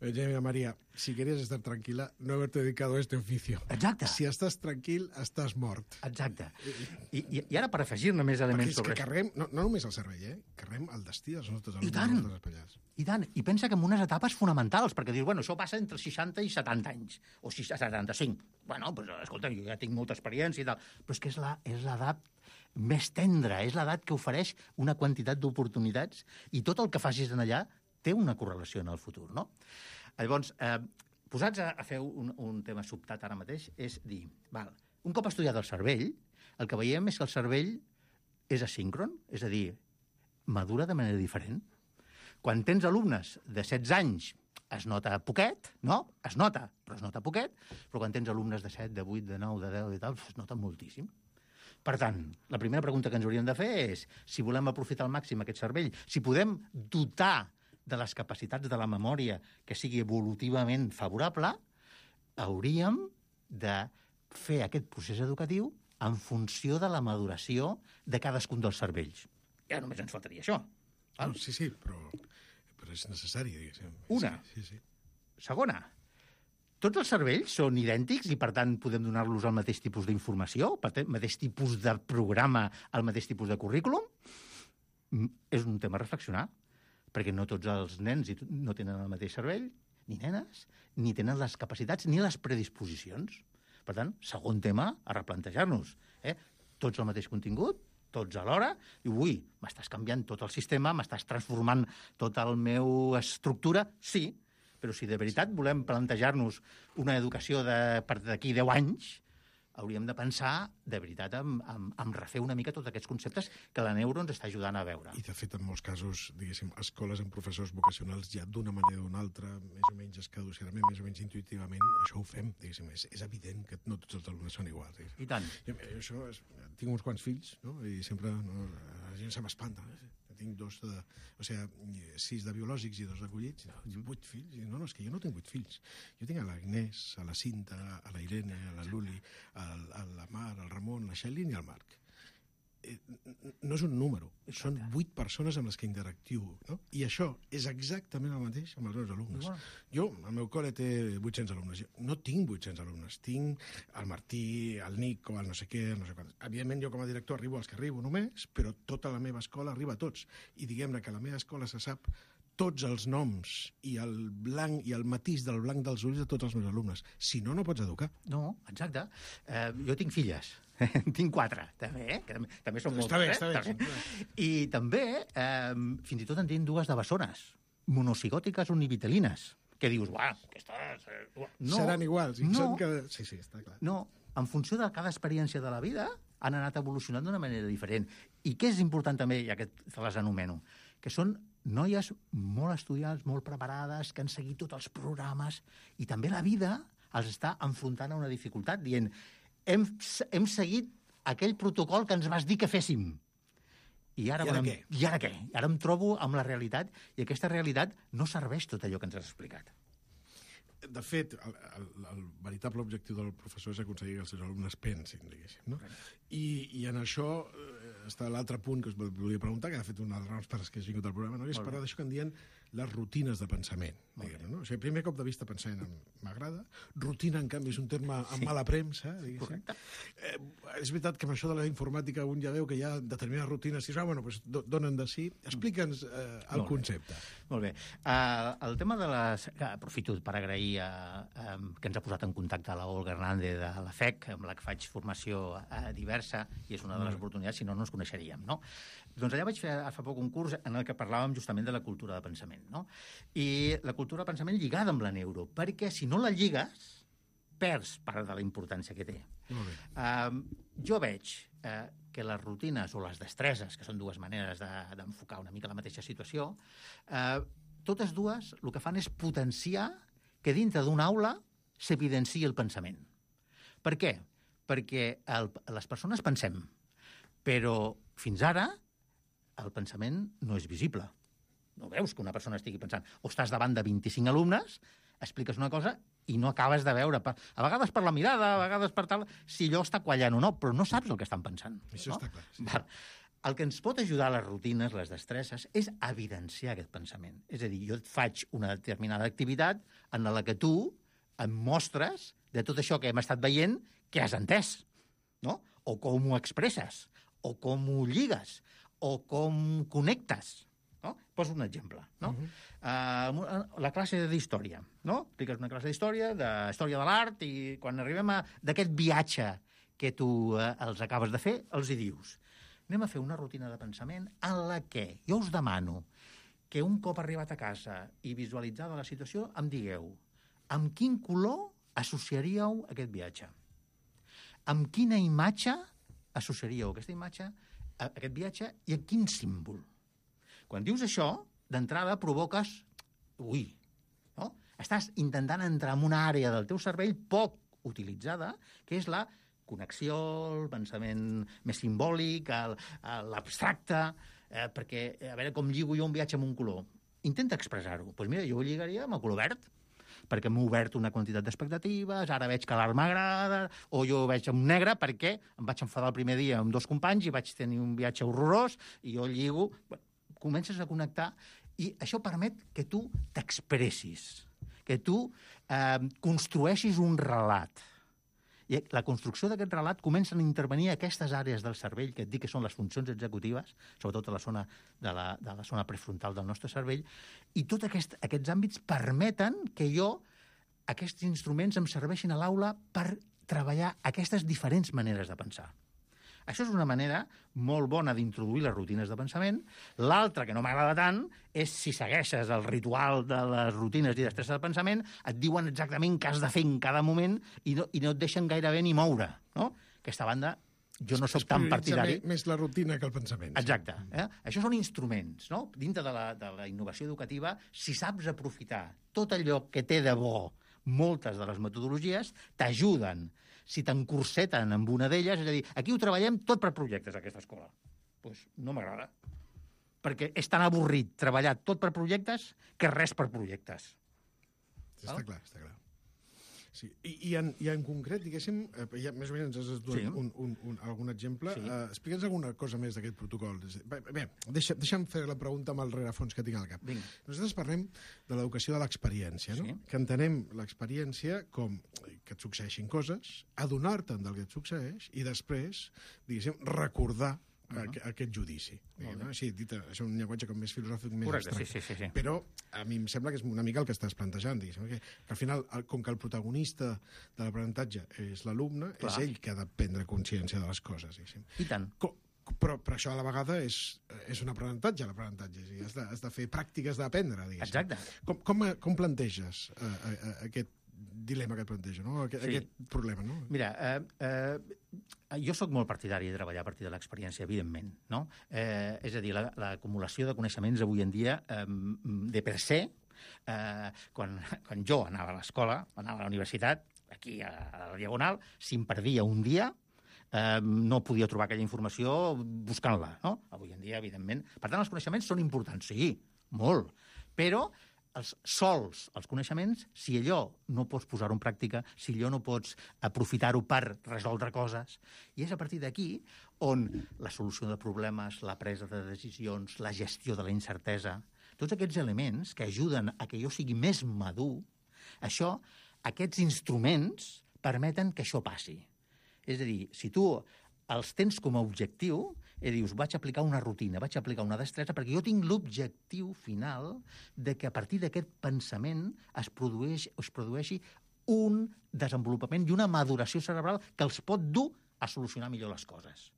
[SPEAKER 8] Oye, mira, María, si querías estar tranquila, no haberte dedicado a este oficio.
[SPEAKER 9] Exacte.
[SPEAKER 8] Si estàs tranquil, estàs mort.
[SPEAKER 9] Exacte. I, i, i ara, per afegir-ne més elements
[SPEAKER 8] sobre... Perquè és que carreguem, no, no només el cervell, eh? Carreguem el destí dels nostres alumnes, dels nostres espallats.
[SPEAKER 9] I tant. I pensa que en unes etapes fonamentals, perquè dius, bueno, això passa entre seixanta i setanta anys, o setanta-cinc. Bueno, doncs, escolta, jo ja tinc molta experiència i tal, però és que és la, és l'edat més tendra, és l'edat que ofereix una quantitat d'oportunitats i tot el que facis en allà té una correlació en el futur, no? Llavors, eh, posats a, a fer un, un tema sobtat ara mateix, és dir, val, un cop estudiat el cervell, el que veiem és que el cervell és asíncron, és a dir, madura de manera diferent. Quan tens alumnes de setze anys, es nota poquet, no? Es nota, però es nota poquet, però quan tens alumnes de set, de vuit, de nou, de deu i tal, es nota moltíssim. Per tant, la primera pregunta que ens hauríem de fer és si volem aprofitar al màxim aquest cervell, si podem dotar de les capacitats de la memòria que sigui evolutivament favorable, hauríem de fer aquest procés educatiu en funció de la maduració de cadascun dels cervells. Ja només ens faltaria això.
[SPEAKER 8] Ah, sí, sí, però, però és necessari, diguéssim.
[SPEAKER 9] Una.
[SPEAKER 8] Sí, sí.
[SPEAKER 9] Segona. Tots els cervells són idèntics i, per tant, podem donar-los el mateix tipus d'informació, el mateix tipus de programa, el mateix tipus de currículum? és un tema a reflexionar, perquè no tots els nens no tenen el mateix cervell, ni nenes, ni tenen les capacitats ni les predisposicions. Per tant, segon tema a replantejar-nos. Eh? Tots el mateix contingut, tots alhora, i ui, m'estàs canviant tot el sistema, m'estàs transformant tota la meva estructura, sí, però si de veritat volem plantejar-nos una educació de, per d'aquí deu anys, hauríem de pensar, de veritat, en, en, en refer una mica tots aquests conceptes que la neuro ens està ajudant a veure.
[SPEAKER 8] I, de fet, en molts casos, diguéssim, escoles amb professors vocacionals ja d'una manera o d'una altra, més o menys escaducerament, més o menys intuïtivament, això ho fem, diguéssim. És, és evident que no tots els alumnes són iguals. Diguéssim.
[SPEAKER 9] I tant.
[SPEAKER 8] I, això és, tinc uns quants fills, no? I sempre no, la gent se m'espanta. No? Tinc dos de, o sigui, sis de biològics i dos d'acollits, no, vuit fills. No, no, és que jo no tinc vuit fills. Jo tinc a l'Agnès, a la Cinta, a la Irene, a la Luli, a, a la Mar, al Ramon, la Xelin i al Marc. Eh, no és un número, són vuit persones amb les que interactivo, no? I això és exactament el mateix amb els meus alumnes. Wow. Jo, el meu col·le té vuit-cents alumnes. Jo no tinc vuit-cents alumnes, tinc el Martí, el Nico, el no sé què, el no sé quant. Evidentment, jo com a director arribo als que arribo només, però tota la meva escola arriba a tots. I diguem-ne que a la meva escola se sap tots els noms i el blanc i el matís del blanc dels ulls de tots els meus alumnes. Si no, no pots educar.
[SPEAKER 9] No, exacte. Eh, jo tinc filles. Tinc quatre, també, eh? Que també, també són moltes.
[SPEAKER 8] Està bé,
[SPEAKER 9] eh?
[SPEAKER 8] està bé.
[SPEAKER 9] També. I també, eh, fins i tot en tinc dues de bessones, monocigòtiques univitelines, que dius, uah, aquestes...
[SPEAKER 8] No, seran iguals. I
[SPEAKER 9] no,
[SPEAKER 8] són que... Sí, sí, està clar.
[SPEAKER 9] No, en funció de cada experiència de la vida, han anat evolucionant d'una manera diferent. I què és important també, ja que te les anomeno, que són noies molt estudiants, molt preparades, que han seguit tots els programes, i també la vida els està enfrontant a una dificultat, dient, hem, hem seguit aquell protocol que ens vas dir que féssim. I ara,
[SPEAKER 8] I ara
[SPEAKER 9] em,
[SPEAKER 8] què?
[SPEAKER 9] I ara què? Ara em trobo amb la realitat, i aquesta realitat no serveix tot allò que ens has explicat.
[SPEAKER 8] De fet, el, el, el veritable objectiu del professor és aconseguir que els seus alumnes pensin, diguéssim, no? I, i en això eh, està l'altre punt que us volia preguntar, que ha fet una de les raons per les que has vingut al programa, no? És parlar d'això que en dien les rutines de pensament. Diguem, no? O sigui, primer cop de vista pensament m'agrada, rutina, en canvi, és un terme amb sí. mala premsa, diguéssim. Eh, és veritat que amb això de la informàtica un ja veu que hi ha determinades rutines, i ah, bueno, doncs do, donen de sí. Explica'ns eh, el
[SPEAKER 9] Molt
[SPEAKER 8] concepte.
[SPEAKER 9] Bé. Molt bé. Uh, el tema de les... Aprofito per agrair uh, um, que ens ha posat en contacte la Olga Hernández de la F E C, amb la que faig formació uh, diversa, i és una de les oportunitats, si no, no ens coneixeríem, no? Doncs allà vaig fer fa poc un curs en el que parlàvem justament de la cultura de pensament, no? I la cultura de pensament lligada amb la neuro, perquè si no la lligues, perds part de la importància que té.
[SPEAKER 8] Molt bé.
[SPEAKER 9] Uh, jo veig uh, que les rutines o les destreses, que són dues maneres d'enfocar de, una mica la mateixa situació, uh, totes dues el que fan és potenciar que dintre d'una aula s'evidenciï el pensament. Per què? Perquè el, les persones pensem, però fins ara el pensament no és visible. No veus que una persona estigui pensant. O estàs davant de vint-i-cinc alumnes, expliques una cosa i no acabes de veure, a vegades per la mirada, a vegades per tal, si allò està quallant o no, però no saps el que estan pensant.
[SPEAKER 8] Això
[SPEAKER 9] no?
[SPEAKER 8] està clar. Sí.
[SPEAKER 9] Val. El que ens pot ajudar a les rutines, les destreses, és evidenciar aquest pensament. És a dir, jo et faig una determinada activitat en la que tu em mostres de tot això que hem estat veient que has entès, no? O com ho expresses, o com ho lligues, o com connectes. No? Poso un exemple. No? Uh-huh. uh, la classe d'història. No? Expliques una classe d'història, de història de l'art, i quan arribem a d'aquest viatge que tu uh, els acabes de fer, els hi dius. Anem a fer una rutina de pensament en la que jo us demano que un cop arribat a casa i visualitzada la situació, em digueu amb quin color associaríeu aquest viatge? Amb quina imatge associaríeu aquesta imatge, aquest viatge, i amb quin símbol? Quan dius això, d'entrada provoques... Ui, no? Estàs intentant entrar en una àrea del teu cervell poc utilitzada, que és la connexió, el pensament més simbòlic, l'abstracte, eh, perquè, a veure, com lligo jo un viatge amb un color? Intenta expressar-ho. Doncs pues mira, jo ho lligaria amb el color verd, perquè m'he obert una quantitat d'expectatives, ara veig que l'art m'agrada, o jo ho veig amb negre perquè em vaig enfadar el primer dia amb dos companys i vaig tenir un viatge horrorós, i jo lligo... Bueno, comences a connectar, i això permet que tu t'expressis, que tu eh, construeixis un relat. I la construcció d'aquest relat comencen a intervenir aquestes àrees del cervell, que et dic que són les funcions executives, sobretot a la zona de la, de la zona prefrontal del nostre cervell, i tots aquest, aquests àmbits permeten que jo, aquests instruments em serveixin a l'aula per treballar aquestes diferents maneres de pensar. Això és una manera molt bona d'introduir les rutines de pensament. L'altra, que no m'agrada tant, és si segueixes el ritual de les rutines i destreses de pensament, et diuen exactament què has de fer en cada moment i no, i no et deixen gairebé ni moure. No? Aquesta banda, jo no sóc tan partidari.
[SPEAKER 8] Més la rutina que el pensament.
[SPEAKER 9] Exacte. Eh? Això són instruments. No? Dintre de la, de la innovació educativa, si saps aprofitar tot allò que té de bo moltes de les metodologies, t'ajuden. Si t'encorseten amb una d'elles, és a dir, aquí ho treballem tot per projectes, aquesta escola. Doncs pues no m'agrada. Perquè és tan avorrit treballar tot per projectes que res per projectes.
[SPEAKER 8] Sí, està clar, està clar. Sí. I, i, en, I en concret, diguéssim, eh, ja més o menys ens has donat sí. un, un, un, algun exemple. Sí. Uh, Explica'ns alguna cosa més d'aquest protocol. Bé, bé deixa, deixa'm fer la pregunta amb el rerefons que tinc al cap.
[SPEAKER 9] Vinga.
[SPEAKER 8] Nosaltres parlem de l'educació de l'experiència, no? Sí. Que entenem l'experiència com que et succeeixin coses, adonar-te'n del que et succeeix i després, diguéssim, recordar Uh -huh. aquest judici. No? Sí, dit, és un llenguatge com més filosòfic, més
[SPEAKER 9] Correcte,
[SPEAKER 8] abstracte.
[SPEAKER 9] sí, sí, sí.
[SPEAKER 8] Però a mi em sembla que és una mica el que estàs plantejant, diguéssim, que, que al final, com que el protagonista de l'aprenentatge és l'alumne, és ell que ha de prendre consciència de les coses, diguéssim.
[SPEAKER 9] I tant.
[SPEAKER 8] Com, però, però això a la vegada és, és un aprenentatge, l'aprenentatge. És has, de, has de fer pràctiques d'aprendre, diguéssim.
[SPEAKER 9] Exacte.
[SPEAKER 8] Com, com, com planteges uh, uh, aquest dilema que et planteja, no? Aquest, sí. aquest problema, no?
[SPEAKER 9] Mira, eh, eh, jo sóc molt partidari de treballar a partir de l'experiència, evidentment, no? Eh, és a dir, l'acumulació de coneixements avui en dia, eh, de per se, eh, quan, quan jo anava a l'escola, anava a la universitat, aquí a, a la Diagonal, si em perdia un dia, eh, no podia trobar aquella informació buscant-la, no? Avui en dia, evidentment. Per tant, els coneixements són importants, sí, molt, però els sols, els coneixements, si allò no pots posar-ho en pràctica, si allò no pots aprofitar-ho per resoldre coses, i és a partir d'aquí on la solució de problemes, la presa de decisions, la gestió de la incertesa, tots aquests elements que ajuden a que jo sigui més madur, això, aquests instruments permeten que això passi. És a dir, si tu els tens com a objectiu, i dius, vaig aplicar una rutina, vaig aplicar una destresa, perquè jo tinc l'objectiu final de que a partir d'aquest pensament es, produeix, es produeixi un desenvolupament i una maduració cerebral que els pot dur a solucionar millor les coses.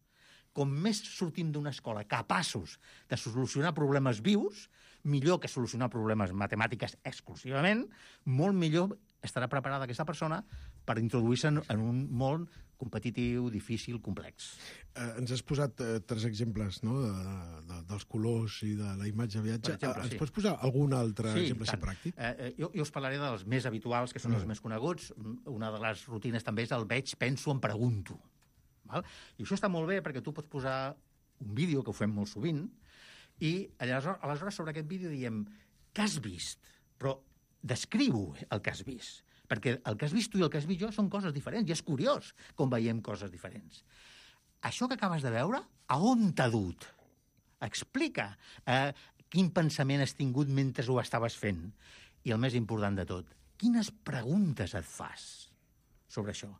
[SPEAKER 9] Com més sortim d'una escola capaços de solucionar problemes vius, millor que solucionar problemes matemàtiques exclusivament, molt millor estarà preparada aquesta persona per introduir-se en, en un món competitiu, difícil, complex.
[SPEAKER 8] Eh, ens has posat eh, tres exemples, no?, de, de, dels colors i de la imatge de viatge.
[SPEAKER 9] Exemple,
[SPEAKER 8] ens
[SPEAKER 9] sí.
[SPEAKER 8] pots posar algun altre
[SPEAKER 9] sí,
[SPEAKER 8] exemple si pràctic?
[SPEAKER 9] Eh, jo, jo us parlaré dels més habituals, que són mm. els més coneguts. Una de les rutines també és el veig, penso, em pregunto. Val? I això està molt bé perquè tu pots posar un vídeo, que ho fem molt sovint, i aleshores, aleshores sobre aquest vídeo diem què has vist? Però descriu el que has vist. Perquè el que has vist tu i el que has vist jo són coses diferents, i és curiós com veiem coses diferents. Això que acabes de veure, a on t'ha dut? Explica eh, quin pensament has tingut mentre ho estaves fent. I el més important de tot, quines preguntes et fas sobre això?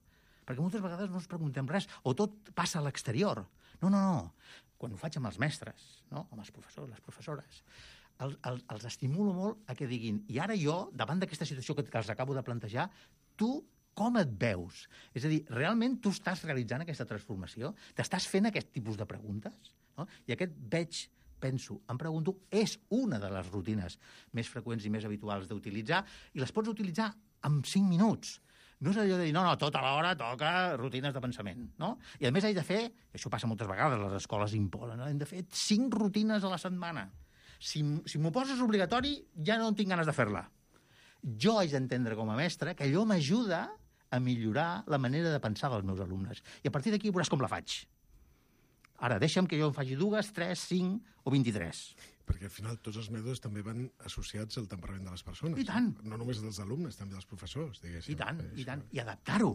[SPEAKER 9] Perquè moltes vegades no ens preguntem res, o tot passa a l'exterior. No, no, no. Quan ho faig amb els mestres, no? Amb els professors, les professores, els, els, els estimulo molt a que diguin, i ara jo, davant d'aquesta situació que, que els acabo de plantejar, tu com et veus? És a dir, realment tu estàs realitzant aquesta transformació? T'estàs fent aquest tipus de preguntes? No? I aquest veig, penso, em pregunto, és una de les rutines més freqüents i més habituals d'utilitzar, i les pots utilitzar en cinc minuts. No és allò de dir, no, no, tota l'hora toca rutines de pensament, no? I a més he de fer, i això passa moltes vegades, les escoles imposen, no? Hem de fer cinc rutines a la setmana. Si, si m'ho poses obligatori, ja no tinc ganes de fer-la. Jo haig d'entendre com a mestre que allò m'ajuda a millorar la manera de pensar dels meus alumnes. I a partir d'aquí veuràs com la faig. Ara, deixa'm que jo en faci dues, tres, cinc o vint-i-tres.
[SPEAKER 8] Perquè al final tots els mètodes també van associats al temperament de les persones.
[SPEAKER 9] I tant.
[SPEAKER 8] No només dels alumnes, també dels professors, diguéssim.
[SPEAKER 9] I tant, i tant. I adaptar-ho.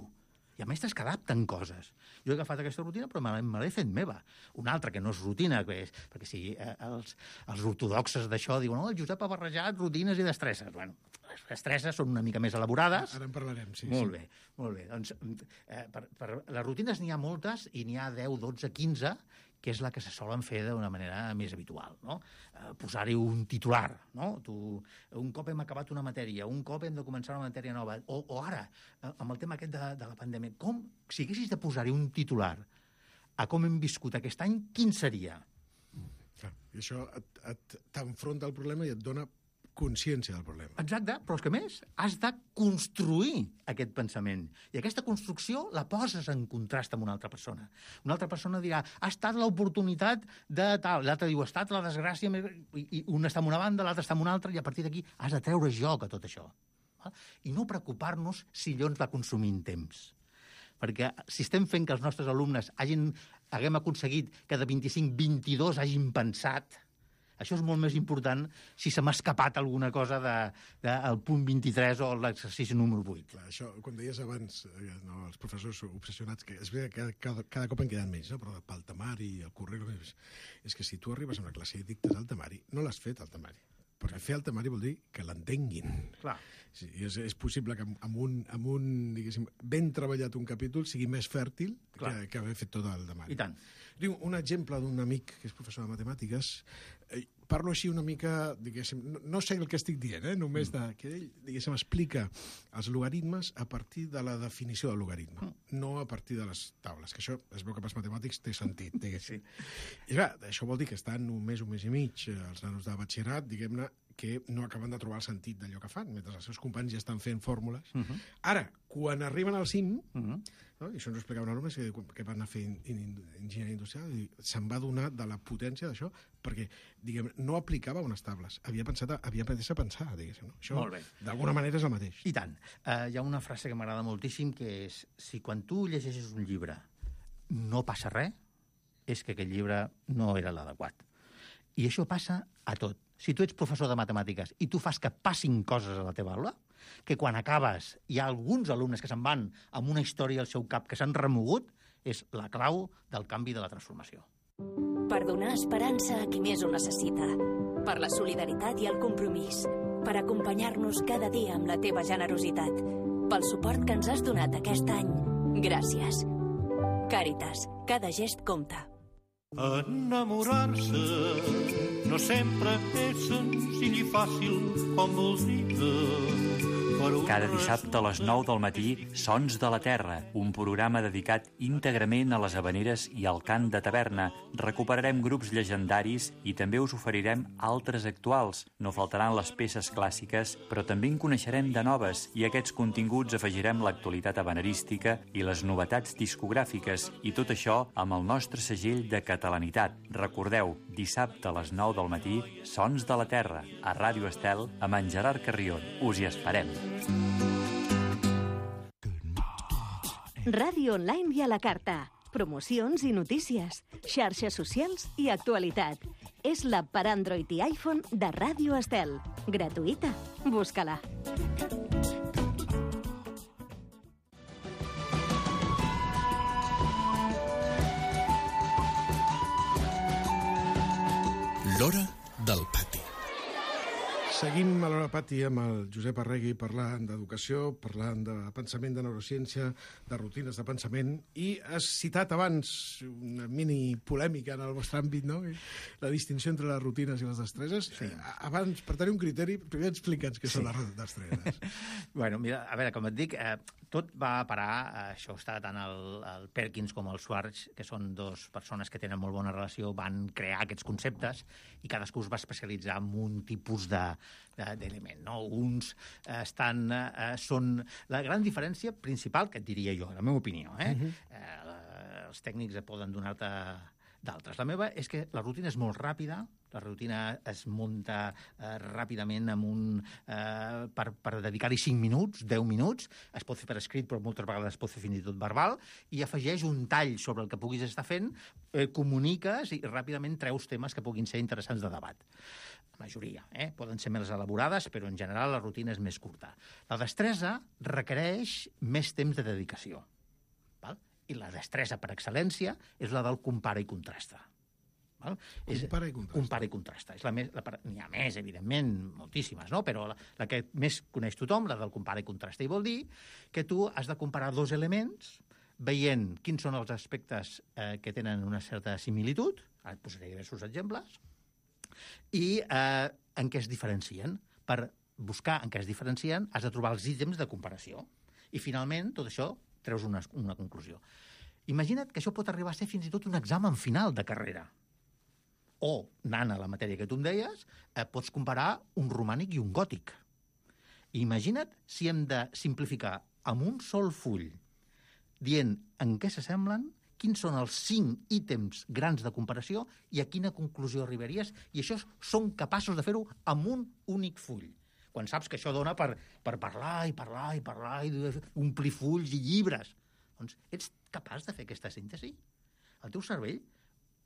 [SPEAKER 9] I Hi ha mestres que adapten coses. Jo he agafat aquesta rutina, però me l'he fet meva. Una altra, que no és rutina, que és, perquè si eh, els, els ortodoxes d'això diuen oh, el Josep ha barrejat rutines i destresses. Bueno, les destresses són una mica més elaborades.
[SPEAKER 8] Ara en parlarem, sí.
[SPEAKER 9] Molt
[SPEAKER 8] sí.
[SPEAKER 9] bé, molt bé. Doncs, eh, per, per, les rutines n'hi ha moltes i n'hi ha deu, dotze, quinze, que és la que se solen fer d'una manera més habitual, no? Eh, posar-hi un titular, no? Tu, un cop hem acabat una matèria, un cop hem de començar una matèria nova, o, o ara, eh, amb el tema aquest de, de la pandèmia, com, si haguessis de posar-hi un titular a com hem viscut aquest any, quin seria?
[SPEAKER 8] Clar, i això et, et, t'enfronta al problema i et dona consciència del problema.
[SPEAKER 9] Exacte, però és que més, has de construir aquest pensament. I aquesta construcció la poses en contrast amb una altra persona. Una altra persona dirà, ha estat l'oportunitat de tal, l'altre diu, ha estat la desgràcia, i, i un està en una banda, l'altre està en una altra, i a partir d'aquí has de treure joc a tot això. I no preocupar-nos si allò ens va consumint temps. Perquè si estem fent que els nostres alumnes hagin, haguem aconseguit que de vint-i-cinc, vint-i-dos hagin pensat, això és molt més important si se m'ha escapat alguna cosa del de, de, punt vint-i-tres o l'exercici número vuit.
[SPEAKER 8] Clar, això, com deies abans, eh, no, els professors obsessionats, que és veritat que cada, cada cop en queden menys, no? Però pel temari, el currículum, és, és que si tu arribes a una classe i dictes el temari, no l'has fet el temari. Perquè fer el temari vol dir que l'entenguin.
[SPEAKER 9] Clar.
[SPEAKER 8] Sí, és, és possible que amb un, amb un, diguéssim, ben treballat un capítol sigui més fèrtil que, que haver fet tot el temari.
[SPEAKER 9] I tant.
[SPEAKER 8] Diu, un exemple d'un amic que és professor de matemàtiques, eh, parlo així una mica, diguéssim, no, no sé el que estic dient, eh, només de, que ell, diguéssim, explica els logaritmes a partir de la definició del logaritme, mm. no a partir de les taules, que això es veu que pels matemàtics té sentit, diguéssim. Sí. I clar, això vol dir que estan un mes, un mes i mig, els nanos de batxillerat, diguem-ne, que no acaben de trobar el sentit d'allò que fan, mentre els seus companys ja estan fent fórmules. Uh -huh. Ara, quan arriben al cim, uh -huh. no? I això ens ho explicava un alumne que, que van anar a fer in, in, enginyeria industrial, i se'n va donar de la potència d'això, perquè, diguem, no aplicava unes tables, havia pensat, a, havia après a pensar, diguéssim. No? Això, d'alguna manera, és el mateix.
[SPEAKER 9] I tant. Uh, hi ha una frase que m'agrada moltíssim, que és, si quan tu llegeixes un llibre no passa res, és que aquest llibre no era l'adequat. I això passa a tot. Si tu ets professor de matemàtiques i tu fas que passin coses a la teva aula, que quan acabes hi ha alguns alumnes que se'n van amb una història al seu cap que s'han remogut, és la clau del canvi de la transformació.
[SPEAKER 12] Per donar esperança a qui més ho necessita. Per la solidaritat i el compromís. Per acompanyar-nos cada dia amb la teva generositat. Pel suport que ens has donat aquest any. Gràcies. Càritas. Cada gest compta.
[SPEAKER 13] Enamorar-se no sempre és senzill i fàcil com voldria.
[SPEAKER 14] Cada dissabte a les nou del matí, Sons de la Terra, un programa dedicat íntegrament a les havaneres i al cant de taverna. Recuperarem grups llegendaris i també us oferirem altres actuals. No faltaran les peces clàssiques, però també en coneixerem de noves, i a aquests continguts afegirem l'actualitat havanerística i les novetats discogràfiques, i tot això amb el nostre segell de catalanitat. Recordeu, dissabte a les nou del matí, Sons de la Terra, a Ràdio Estel, amb en Gerard Carrion. Us hi esperem.
[SPEAKER 15] Ràdio online i a la carta. Promocions i notícies, xarxes socials i actualitat. És l'app per Android i iPhone de Ràdio Estel. Gratuïta. Busca-la.
[SPEAKER 7] L'Hora del Pati.
[SPEAKER 8] Seguim a l'Hora del Pati amb el Josep Arregui parlant d'educació, parlant de pensament, de neurociència, de rutines de pensament, i has citat abans una mini polèmica en el vostre àmbit, no? La distinció entre les rutines i les destreses. Sí. Abans, per tenir un criteri, primer explica'ns què sí. són les destreses.
[SPEAKER 9] Bueno, mira, a veure, com et dic, eh, tot va a parar, això està tant el, el Perkins com el Schwartz, que són dos persones que tenen molt bona relació, van crear aquests conceptes i cadascú es va especialitzar en un tipus de d'element, no? Uns estan, eh, són... La gran diferència principal, que et diria jo, la meva opinió, eh? Uh-huh. eh els tècnics poden donar-te d'altres. La meva és que la rutina és molt ràpida, la rutina es munta eh, ràpidament amb un, eh, per, per dedicar-hi cinc minuts, deu minuts, es pot fer per escrit, però moltes vegades es pot fer fins i tot verbal, i afegeix un tall sobre el que puguis estar fent, eh, comuniques i ràpidament treus temes que puguin ser interessants de debat. La majoria, eh? Poden ser més elaborades, però en general la rutina és més curta. La destresa requereix més temps de dedicació. I la destressa per excel·lència és la del compara i contrasta. Val?
[SPEAKER 8] Compara i contrasta.
[SPEAKER 9] Compara i contrasta. És la més, la, n'hi ha més, evidentment, moltíssimes, no? Però la, la que més coneix tothom, la del compara i contrasta, i vol dir que tu has de comparar dos elements veient quins són els aspectes eh, que tenen una certa similitud, ara et posaré diversos exemples, i eh, en què es diferencien. Per buscar en què es diferencien has de trobar els ítems de comparació. I finalment, tot això, treus una, una conclusió. Imagina't que això pot arribar a ser fins i tot un examen final de carrera. O, anant a la matèria que tu em deies, eh, pots comparar un romànic i un gòtic. Imagina't si hem de simplificar amb un sol full, dient en què s'assemblen, quins són els cinc ítems grans de comparació i a quina conclusió arribaries, i això són capaços de fer-ho amb un únic full. Quan saps que això dona per, per parlar i parlar i parlar i omplir fulls i llibres. Doncs ets capaç de fer aquesta síntesi? El teu cervell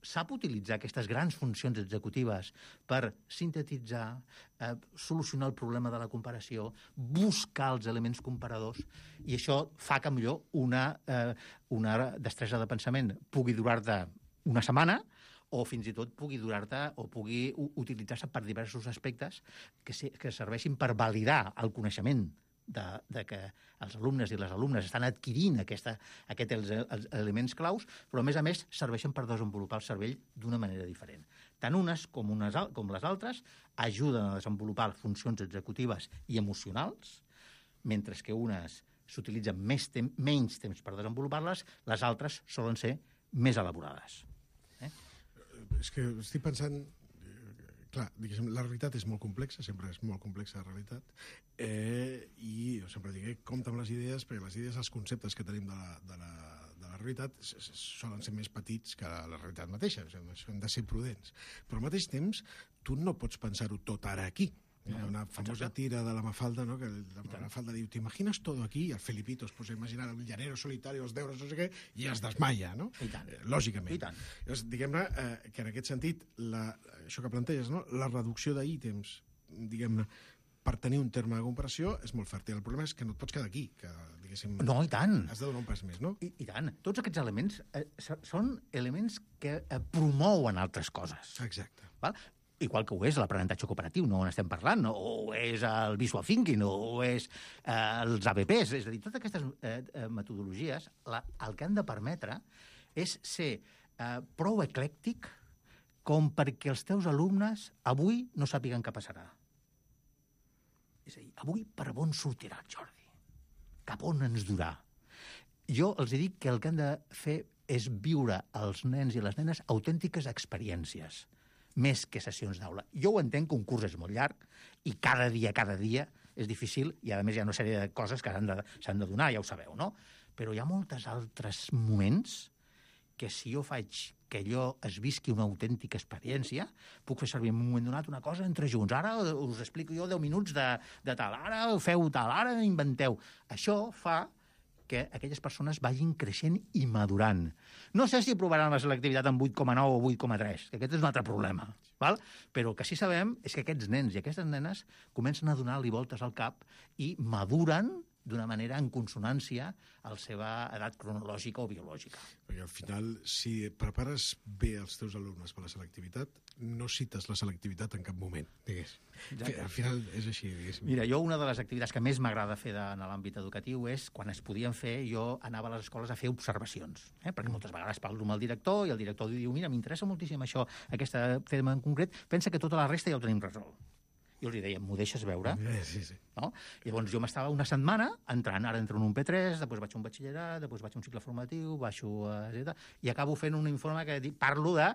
[SPEAKER 9] sap utilitzar aquestes grans funcions executives per sintetitzar, eh, solucionar el problema de la comparació, buscar els elements comparadors, i això fa que millor una, eh, una destresa de pensament pugui durar-te una setmana o fins i tot pugui durar-te o pugui utilitzar-se per diversos aspectes que, se, que serveixin per validar el coneixement de, de que els alumnes i les alumnes estan adquirint aquesta, aquest, els, els elements claus, però a més a més serveixen per desenvolupar el cervell d'una manera diferent. Tant unes com, unes, com les altres ajuden a desenvolupar funcions executives i emocionals, mentre que unes s'utilitzen més tem menys temps per desenvolupar-les, les altres solen ser més elaborades.
[SPEAKER 8] Eh? És que estic pensant... Clar, diguéssim, la realitat és molt complexa, sempre és molt complexa la realitat, eh, i jo sempre dic, eh, compta amb les idees, perquè les idees, els conceptes que tenim de la, de la, de la realitat solen ser més petits que la realitat mateixa, o sigui, hem de ser prudents. Però al mateix temps, tu no pots pensar-ho tot ara aquí. Hi ha una famosa tira de la Mafalda, no? Que la, la Mafalda diu, ¿t'imagines todo aquí? I el Felipito es posa a imaginar el llanero solitari, els deures, no sé què, i es desmaia, no?
[SPEAKER 9] I tant.
[SPEAKER 8] Eh, lògicament.
[SPEAKER 9] I tant.
[SPEAKER 8] Llavors, diguem-ne eh, que en aquest sentit, la, això que planteges, no? La reducció d'ítems, diguem-ne, per tenir un terme de comparació és molt fèrtil. El problema és que no et pots quedar aquí, que, diguéssim...
[SPEAKER 9] No, i tant.
[SPEAKER 8] Has de donar un pas més, no?
[SPEAKER 9] I, i tant. Tots aquests elements eh, són elements que eh, promouen altres coses.
[SPEAKER 8] Exacte.
[SPEAKER 9] Val? Igual que ho és l'aprenentatge cooperatiu, no on estem parlant, o és el visual thinking, o és eh, els A B Ps. És a dir, totes aquestes eh, metodologies la, el que han de permetre és ser eh, prou eclèctic com perquè els teus alumnes avui no sàpiguen què passarà. És a dir, avui per on sortirà el Jordi? Cap on ens durà? Jo els dic que el que han de fer és viure als nens i les nenes autèntiques experiències, més que sessions d'aula. Jo ho entenc que un curs és molt llarg i cada dia, cada dia és difícil i, a més, hi ha una sèrie de coses que s'han de, s'han de donar, ja ho sabeu, no? Però hi ha molts altres moments que si jo faig que allò es visqui una autèntica experiència, puc fer servir en un moment donat una cosa entre junts. Ara us explico jo deu minuts de, de tal, ara feu tal, ara inventeu. Això fa que aquelles persones vagin creixent i madurant. No sé si aprovaran la selectivitat en vuit coma nou o vuit coma tres, que aquest és un altre problema, val? Però el que sí sabem és que aquests nens i aquestes nenes comencen a donar-li voltes al cap i maduren d'una manera en consonància a la seva edat cronològica o biològica.
[SPEAKER 8] Perquè al final, si prepares bé els teus alumnes per la selectivitat, no cites la selectivitat en cap moment, digués. Exacte. Al final és així, digués.
[SPEAKER 9] Mira, jo una de les activitats que més m'agrada fer de, en l'àmbit educatiu és, quan es podien fer, jo anava a les escoles a fer observacions, eh? Perquè moltes vegades parlo amb el director i el director diu, mira, m'interessa moltíssim això, aquest tema en concret, pensa que tota la resta ja ho tenim resolt. Jo els deia, m'ho deixes veure?
[SPEAKER 8] Sí, sí.
[SPEAKER 9] No? Llavors jo m'estava una setmana entrant, ara entro en un P tres, després vaig a un batxillerat, després vaig a un cicle formatiu, baixo a... i acabo fent un informe que parlo de,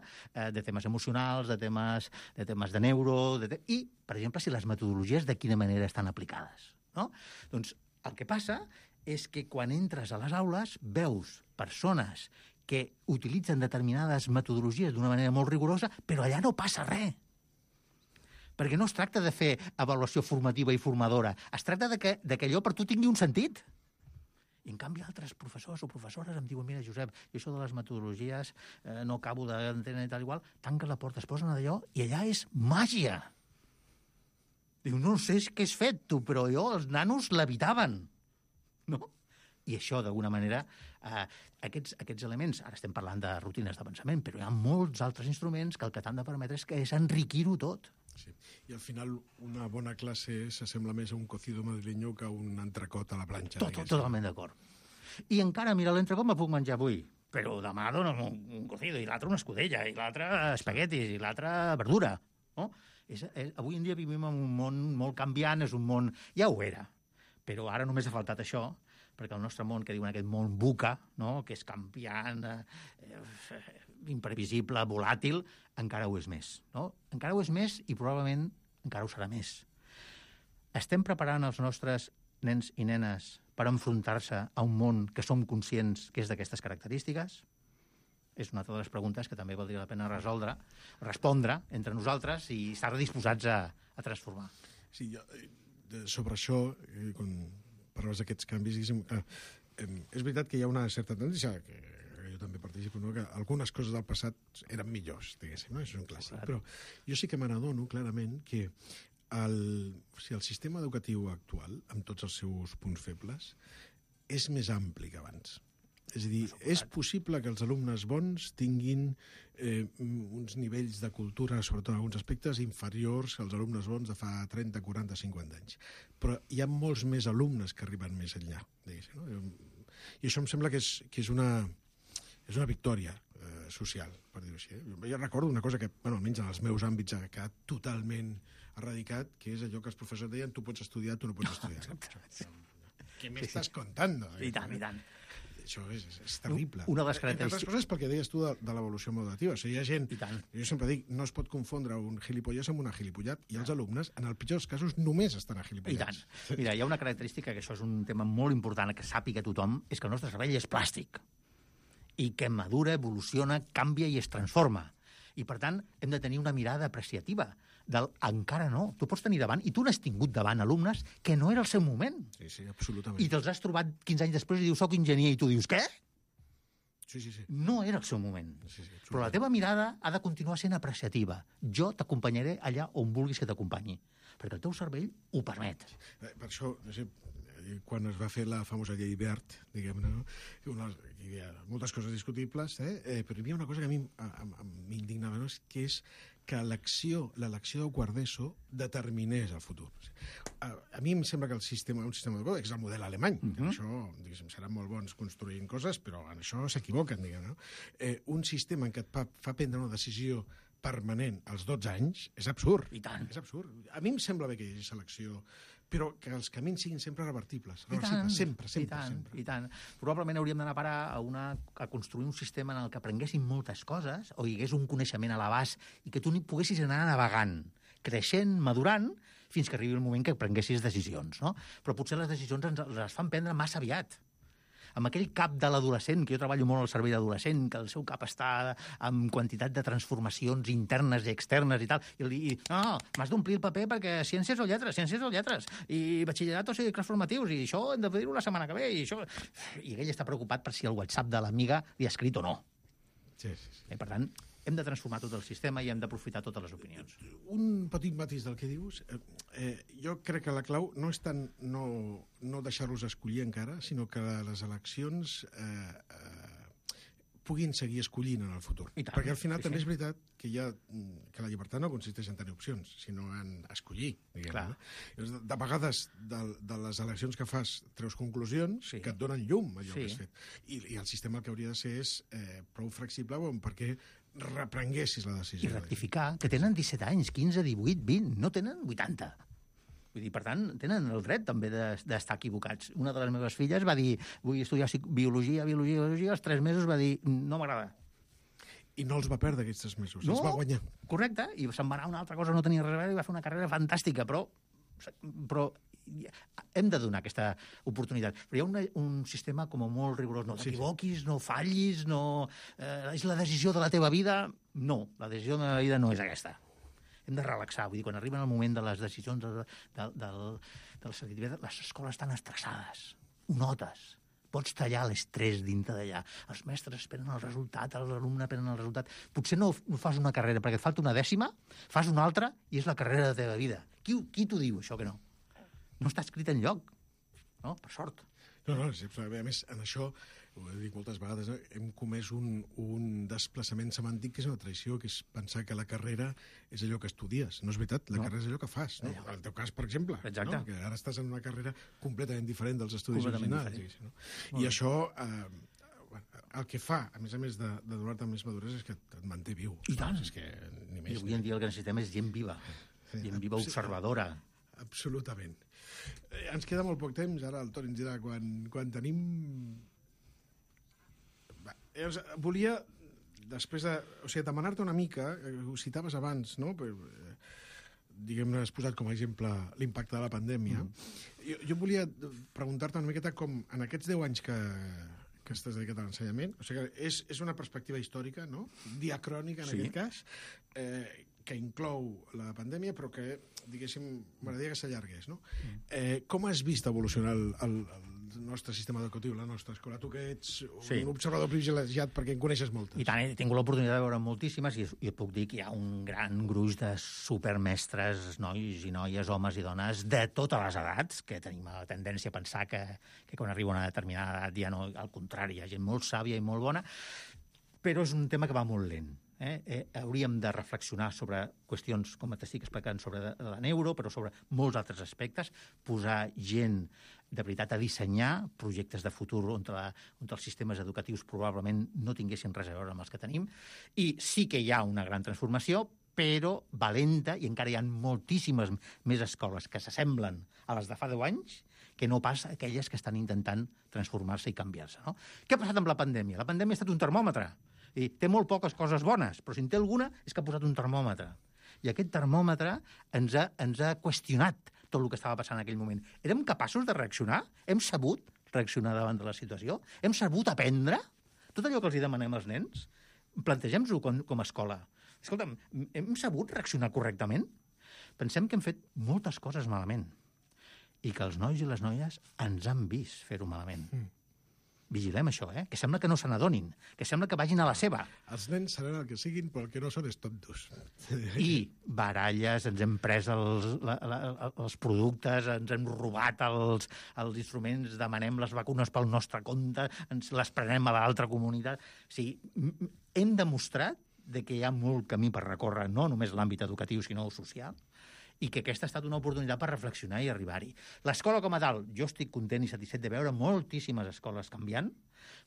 [SPEAKER 9] de temes emocionals, de temes de, temes de neuro, de te... i, per exemple, si les metodologies de quina manera estan aplicades. No? Doncs el que passa és que quan entres a les aules veus persones que utilitzen determinades metodologies d'una manera molt rigorosa, però allà no passa res. Perquè no es tracta de fer avaluació formativa i formadora, es tracta de que, de que allò per tu tingui un sentit. I, en canvi, altres professors o professores em diuen, mira, Josep, jo això de les metodologies eh, no acabo d'entendre i tal igual, tanques la porta, es posen d'allò i allà és màgia. Diu, no sé què has fet tu, però jo, els nanos l'evitaven. No? I això, d'alguna manera, eh, aquests, aquests elements, ara estem parlant de rutines de pensament, però hi ha molts altres instruments que el que t'han de permetre és, que és enriquir-ho tot.
[SPEAKER 8] Sí. I al final una bona classe s'assembla més a un cocido madrileño que a un entrecot a la planxa.
[SPEAKER 9] Tot, totalment d'acord. I encara, mira, l'entrecot me puc menjar avui, però demà donen un, un cocido, i l'altre una escudella, i l'altre espaguetis, i l'altre verdura. No? És, és, avui en dia vivim en un món molt canviant, és un món... Ja ho era, però ara només ha faltat això, perquè el nostre món, que diuen aquest món buca, no? Que és canviant, eh, imprevisible, volàtil, encara ho és més. No? Encara ho és més i probablement encara ho serà més. Estem preparant els nostres nens i nenes per enfrontar-se a un món que som conscients que és d'aquestes característiques? És una altra de les preguntes que també valdria la pena resoldre, respondre entre nosaltres i estar disposats a, a transformar.
[SPEAKER 8] Sí, jo, sobre això, eh, quan parles d'aquests canvis, diguéssim, clar, eh, és veritat que hi ha una certa tendència, que jo també participo, no? Que algunes coses del passat eren millors, diguéssim, no? Això és un clàssic. Clar. Però jo sí que me n'adono clarament que el, o sigui, el sistema educatiu actual, amb tots els seus punts febles, és més ampli que abans. És a dir, és possible que els alumnes bons tinguin eh, uns nivells de cultura, sobretot en alguns aspectes, inferiors als alumnes bons de fa trenta, quaranta, cinquanta anys. Però hi ha molts més alumnes que arriben més enllà, diguéssim, no? I això em sembla que és, que és, una, és una victòria eh, social, per dir-ho així. Jo recordo una cosa que, bueno, almenys en els meus àmbits, ha quedat totalment erradicat, que és allò que els professors deien: tu pots estudiar, tu no pots estudiar. Què m'estàs contando?
[SPEAKER 9] I tant, i tant.
[SPEAKER 8] Això és, és, és terrible.
[SPEAKER 9] Una de les característiques...
[SPEAKER 8] Entre altres coses perquè deies tu de, de l'evolució modativa. O sigui, hi ha gent... Jo sempre dic, no es pot confondre un gilipollès amb una gilipollat, i els alumnes, en el pitjor dels casos, només estan a gilipollats.
[SPEAKER 9] I tant. Mira, hi ha una característica, que això és un tema molt important, que sàpiga tothom, és que el nostre cervell és plàstic. I que madura, evoluciona, canvia i es transforma. I, per tant, hem de tenir una mirada apreciativa del encara no. Tu pots tenir davant, i tu n'has tingut davant alumnes que no era el seu moment.
[SPEAKER 8] Sí, sí, absolutament.
[SPEAKER 9] I te'ls has trobat quinze anys després i dius, soc enginyer, i tu dius, què?
[SPEAKER 8] Sí, sí, sí.
[SPEAKER 9] No era el seu moment.
[SPEAKER 8] Sí, sí,
[SPEAKER 9] però la teva mirada ha de continuar sent apreciativa. Jo t'acompanyaré allà on vulguis que t'acompanyi, perquè el teu cervell ho permet.
[SPEAKER 8] Eh, per això, no sé, quan es va fer la famosa llei Wert, diguem-ne, no? Una, hi havia moltes coses discutibles, eh? Eh, però hi havia una cosa que a mi m'indignava, no? Que és que l'elecció del quart d'ESO determinés el futur. A, a mi em sembla que el sistema, un sistema educatiu, és el model alemany. Uh -huh. Això, diguéssim, seran molt bons construint coses, però en això s'equivoquen, diguem, no? Eh, un sistema en què et fa, fa prendre una decisió permanent als dotze anys és absurd.
[SPEAKER 9] I tant.
[SPEAKER 8] És absurd. A mi em sembla bé que hi hagi selecció, però que els camins siguin sempre revertibles.
[SPEAKER 9] I tant,
[SPEAKER 8] sempre, sempre,
[SPEAKER 9] i tant,
[SPEAKER 8] sempre.
[SPEAKER 9] I tant. Probablement hauríem d'anar a parar a, una, a construir un sistema en el que aprenguessin moltes coses, o hi hagués un coneixement a l'abast, i que tu ni poguessis anar navegant, creixent, madurant, fins que arribi el moment que prenguessis decisions, no? Però potser les decisions ens les fan prendre massa aviat. Amb aquell cap de l'adolescent, que jo treballo molt al servei d'adolescent, que el seu cap està amb quantitat de transformacions internes i externes i tal, i li dic, no, no, m'has d'omplir el paper perquè ciències o lletres, ciències o lletres, i batxillerat o cicles formatius, i això hem de dir-ho la setmana que ve, i això... I ell està preocupat per si el WhatsApp de l'amiga li ha escrit o no.
[SPEAKER 8] Sí, sí, sí.
[SPEAKER 9] I, per tant, hem de transformar tot el sistema i hem d'aprofitar totes les opinions.
[SPEAKER 8] Un petit matís del que dius. Eh, eh, jo crec que la clau no és tant no, no deixar-los escollir encara, sinó que les eleccions eh, eh, puguin seguir escollint en el futur.
[SPEAKER 9] I tant,
[SPEAKER 8] perquè al final
[SPEAKER 9] sí,
[SPEAKER 8] també
[SPEAKER 9] sí.
[SPEAKER 8] és veritat que, hi ha, que la llibertat no consisteix en tenir opcions, sinó en escollir. Diguem,
[SPEAKER 9] Clar.
[SPEAKER 8] no? De vegades, de, de les eleccions que fas, treus conclusions
[SPEAKER 9] Sí.
[SPEAKER 8] que et donen llum allò
[SPEAKER 9] Sí.
[SPEAKER 8] que has fet. I, I el sistema el que hauria de ser és eh, prou flexible bon, perquè reprenguessis la
[SPEAKER 9] I
[SPEAKER 8] decisió.
[SPEAKER 9] rectificar, que tenen disset anys, quinze, divuit, vint, no tenen vuitanta. Vull dir, per tant, tenen el dret també d'estar equivocats. Una de les meves filles va dir, vull estudiar biologia, biologia, biologia, als tres mesos va dir, no m'agrada.
[SPEAKER 8] I no els va perdre aquests tres mesos,
[SPEAKER 9] No,
[SPEAKER 8] els va guanyar.
[SPEAKER 9] Correcte, i se'n va anar a una altra cosa, no tenia res a veure, i va fer una carrera fantàstica, però, però hem de donar aquesta oportunitat. Però hi ha una, un sistema com molt rigorós. No t'equivoquis, no fallis, no... Eh, és la decisió de la teva vida. No, la decisió de la meva vida no és aquesta. Hem de relaxar. Vull dir, quan arriben el moment de les decisions de, de, de, de la selectivitat, les escoles estan estressades. Ho notes. Pots tallar l'estrès dintre d'allà. Els mestres esperen el resultat, els alumnes esperen el resultat. Potser no, no fas una carrera perquè et falta una dècima, fas una altra i és la carrera de la teva vida. Qui, qui t'ho diu, això, que no? No està escrit enlloc, no? Per sort.
[SPEAKER 8] No, no, sí, a més, en això, ho he dit moltes vegades, no? Hem comès un, un desplaçament semàntic que és una traïció, que és pensar que la carrera és allò que estudies. No és veritat, la no. carrera és allò que fas. No? En el teu cas, per exemple, no? Que ara estàs en una carrera completament diferent dels estudis originals. No? I això, eh, el que fa, a més a més de, de donar-te més maduresa, és que et manté viu.
[SPEAKER 9] I tant.
[SPEAKER 8] És que, ni més,
[SPEAKER 9] I avui en dia el que necessitem és gent viva, sí, gent viva observadora.
[SPEAKER 8] Absolutament. Eh, ens queda molt poc temps, ara el Toni ens dirà quan, quan tenim... Va, llavors, volia, després de... O sigui, demanar-te una mica, ho citaves abans, no? Però, eh, diguem-ne, has posat com a exemple l'impacte de la pandèmia. Mm. Jo, jo volia preguntar-te una miqueta com en aquests deu anys que, que estàs dedicat a l'ensenyament, o sigui, és, és una perspectiva històrica, no? Diacrònica, en sí. aquest cas, eh, que inclou la pandèmia, però que, diguéssim, m'agradaria que s'allargués, no? Eh, com has vist evolucionar el, el, el nostre sistema educatiu, la nostra escola? Tu que ets sí. un observador privilegiat perquè en coneixes moltes.
[SPEAKER 9] I tant, he tingut l'oportunitat de veure moltíssimes i jo puc dir que hi ha un gran gruix de supermestres, nois i noies, homes i dones, de totes les edats, que tenim la tendència a pensar que, que quan arriba una determinada edat ja no, al contrari, hi ha gent molt sàvia i molt bona, però és un tema que va molt lent. Eh? Eh, hauríem de reflexionar sobre qüestions, com t'estic explicant, sobre la neuro, però sobre molts altres aspectes, posar gent de veritat a dissenyar projectes de futur on, la, on els sistemes educatius probablement no tinguessin res a veure amb els que tenim, i sí que hi ha una gran transformació, però valenta, i encara hi ha moltíssimes més escoles que s'assemblen a les de fa deu anys, que no pas aquelles que estan intentant transformar-se i canviar-se. No? Què ha passat amb la pandèmia? La pandèmia ha estat un termòmetre. I té molt poques coses bones, però si en té alguna és que ha posat un termòmetre. I aquest termòmetre ens ha, ens ha qüestionat tot el que estava passant en aquell moment. Érem capaços de reaccionar? Hem sabut reaccionar davant de la situació? Hem sabut aprendre? Tot allò que els demanem als nens? Plantegem-nos-ho com, com a escola. Escolta'm, hem sabut reaccionar correctament? Pensem que hem fet moltes coses malament i que els nois i les noies ens han vist fer-ho malament. Mm. Vigilem això, eh? Que sembla que no se n'adonin, que sembla que vagin a la seva.
[SPEAKER 8] Els nens seran el que siguin, però el que no són és tontos.
[SPEAKER 9] I baralles, ens hem pres els, la, la, els productes, ens hem robat els, els instruments, demanem les vacunes pel nostre compte, ens les prenem a l'altra comunitat. O sigui, hem demostrat de que hi ha molt camí per recórrer, no només l'àmbit educatiu, sinó social, i que aquesta ha estat una oportunitat per reflexionar i arribar-hi. L'escola com a tal, jo estic content i satisfet de veure moltíssimes escoles canviant,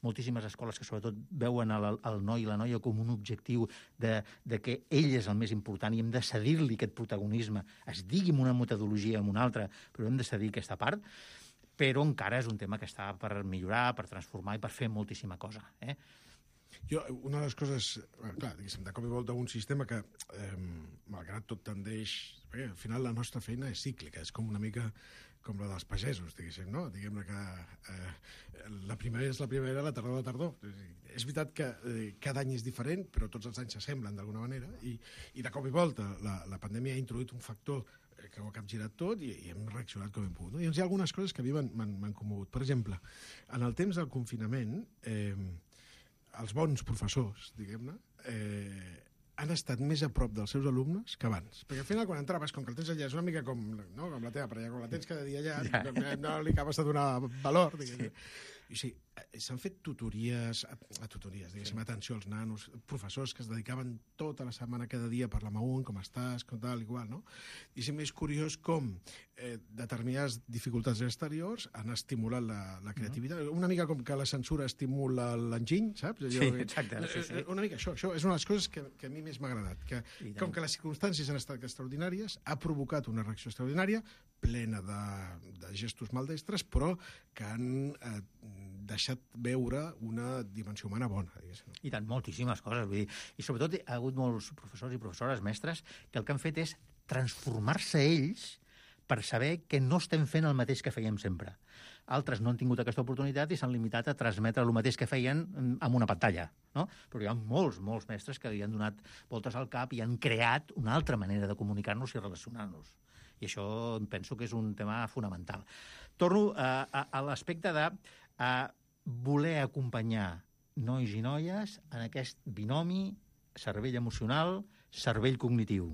[SPEAKER 9] moltíssimes escoles que sobretot veuen el, el noi i la noia com un objectiu de, de que ell és el més important i hem de cedir-li aquest protagonisme, es digui amb una metodologia o amb una altra, però hem de cedir aquesta part, però encara és un tema que està per millorar, per transformar i per fer moltíssima cosa. Eh?
[SPEAKER 8] Jo, una de les coses, clar, diguéssim, de cop i volta un sistema que, eh, malgrat tot tendeix... Perquè al final la nostra feina és cíclica, és com una mica com la dels pagesos, diguéssim, no? Diguem-ne que eh, la primavera és la primavera, la tardor la tardor. És veritat que eh, cada any és diferent, però tots els anys s'assemblen d'alguna manera, i, i de cop i volta la, la pandèmia ha introduït un factor que ho ha capgirat tot i, i hem reaccionat com hem pogut. No? I hi ha algunes coses que a mi m'han commogut. Per exemple, en el temps del confinament, eh, els bons professors, diguem-ne, eh, han estat més a prop dels seus alumnes que abans. Perquè al final, quan entraves, com que el tens allà, és una mica com, no, com la teva parella, com la tens cada dia allà, ja. no, no li acabes de donar valor. Sí. I sí, s'han fet tutories, a, a tutories, diguéssim, sí. atenció als nanos, professors que es dedicaven tota la setmana, cada dia, a parlar amb un, com estàs, com tal, igual, no? I és més curiós com eh, determinades dificultats exteriors han estimulat la, la creativitat. Uh-huh. Una mica com que la censura estimula l'enginy, saps?
[SPEAKER 9] Sí, exacte. Sí, sí.
[SPEAKER 8] Una mica això, això és una de les coses que, que a mi més m'ha agradat, que com que les circumstàncies han estat extraordinàries, ha provocat una reacció extraordinària, plena de, de gestos maldestres, però que han eh, deixat veure una dimensió humana bona. Diguéssim.
[SPEAKER 9] I tant, moltíssimes coses. Vull dir. I sobretot hi ha hagut molts professors i professores, mestres, que el que han fet és transformar-se ells per saber que no estem fent el mateix que fèiem sempre. Altres no han tingut aquesta oportunitat i s'han limitat a transmetre el mateix que feien amb una pantalla. No? Però hi ha molts, molts mestres que li han donat voltes al cap i han creat una altra manera de comunicar-nos i relacionar-nos. I això em penso que és un tema fonamental. Torno a, a, a l'aspecte de a voler acompanyar nois i noies en aquest binomi cervell emocional, cervell cognitiu.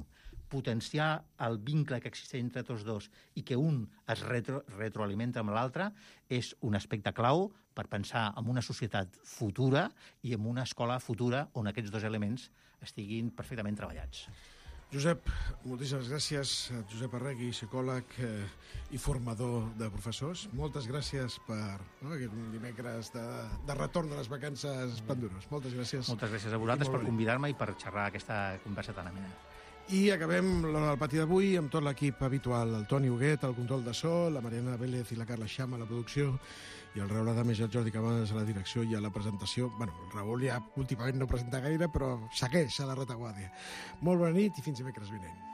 [SPEAKER 9] potenciar el vincle que existeix entre tots dos i que un es retro, retroalimenta amb l'altre és un aspecte clau per pensar en una societat futura i en una escola futura on aquests dos elements estiguin perfectament treballats.
[SPEAKER 8] Josep, moltíssimes gràcies. Josep Arregui, psicòleg eh, i formador de professors. Moltes gràcies per no, aquest dimecres de, de retorn de les vacances Pandurós. Moltes gràcies.
[SPEAKER 9] Moltes gràcies a vosaltres per convidar-me i per xerrar aquesta conversa tan amena.
[SPEAKER 8] I acabem l'hora del pati d'avui amb tot l'equip habitual. El Toni Huguet, el control de so, la Mariana Vélez i la Carla Xama a la producció, i el Raül Adames i el Jordi Cabanes a la direcció i a la presentació. Bueno, el Raül ja últimament no presenta gaire, però segueix a la retaguardia. Molt bona nit i fins dimecres vinent.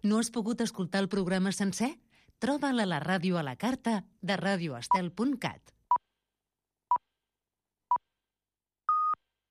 [SPEAKER 3] No has pogut escoltar el programa sencer? Troba'l a la ràdio a la carta de radio estel punt cat.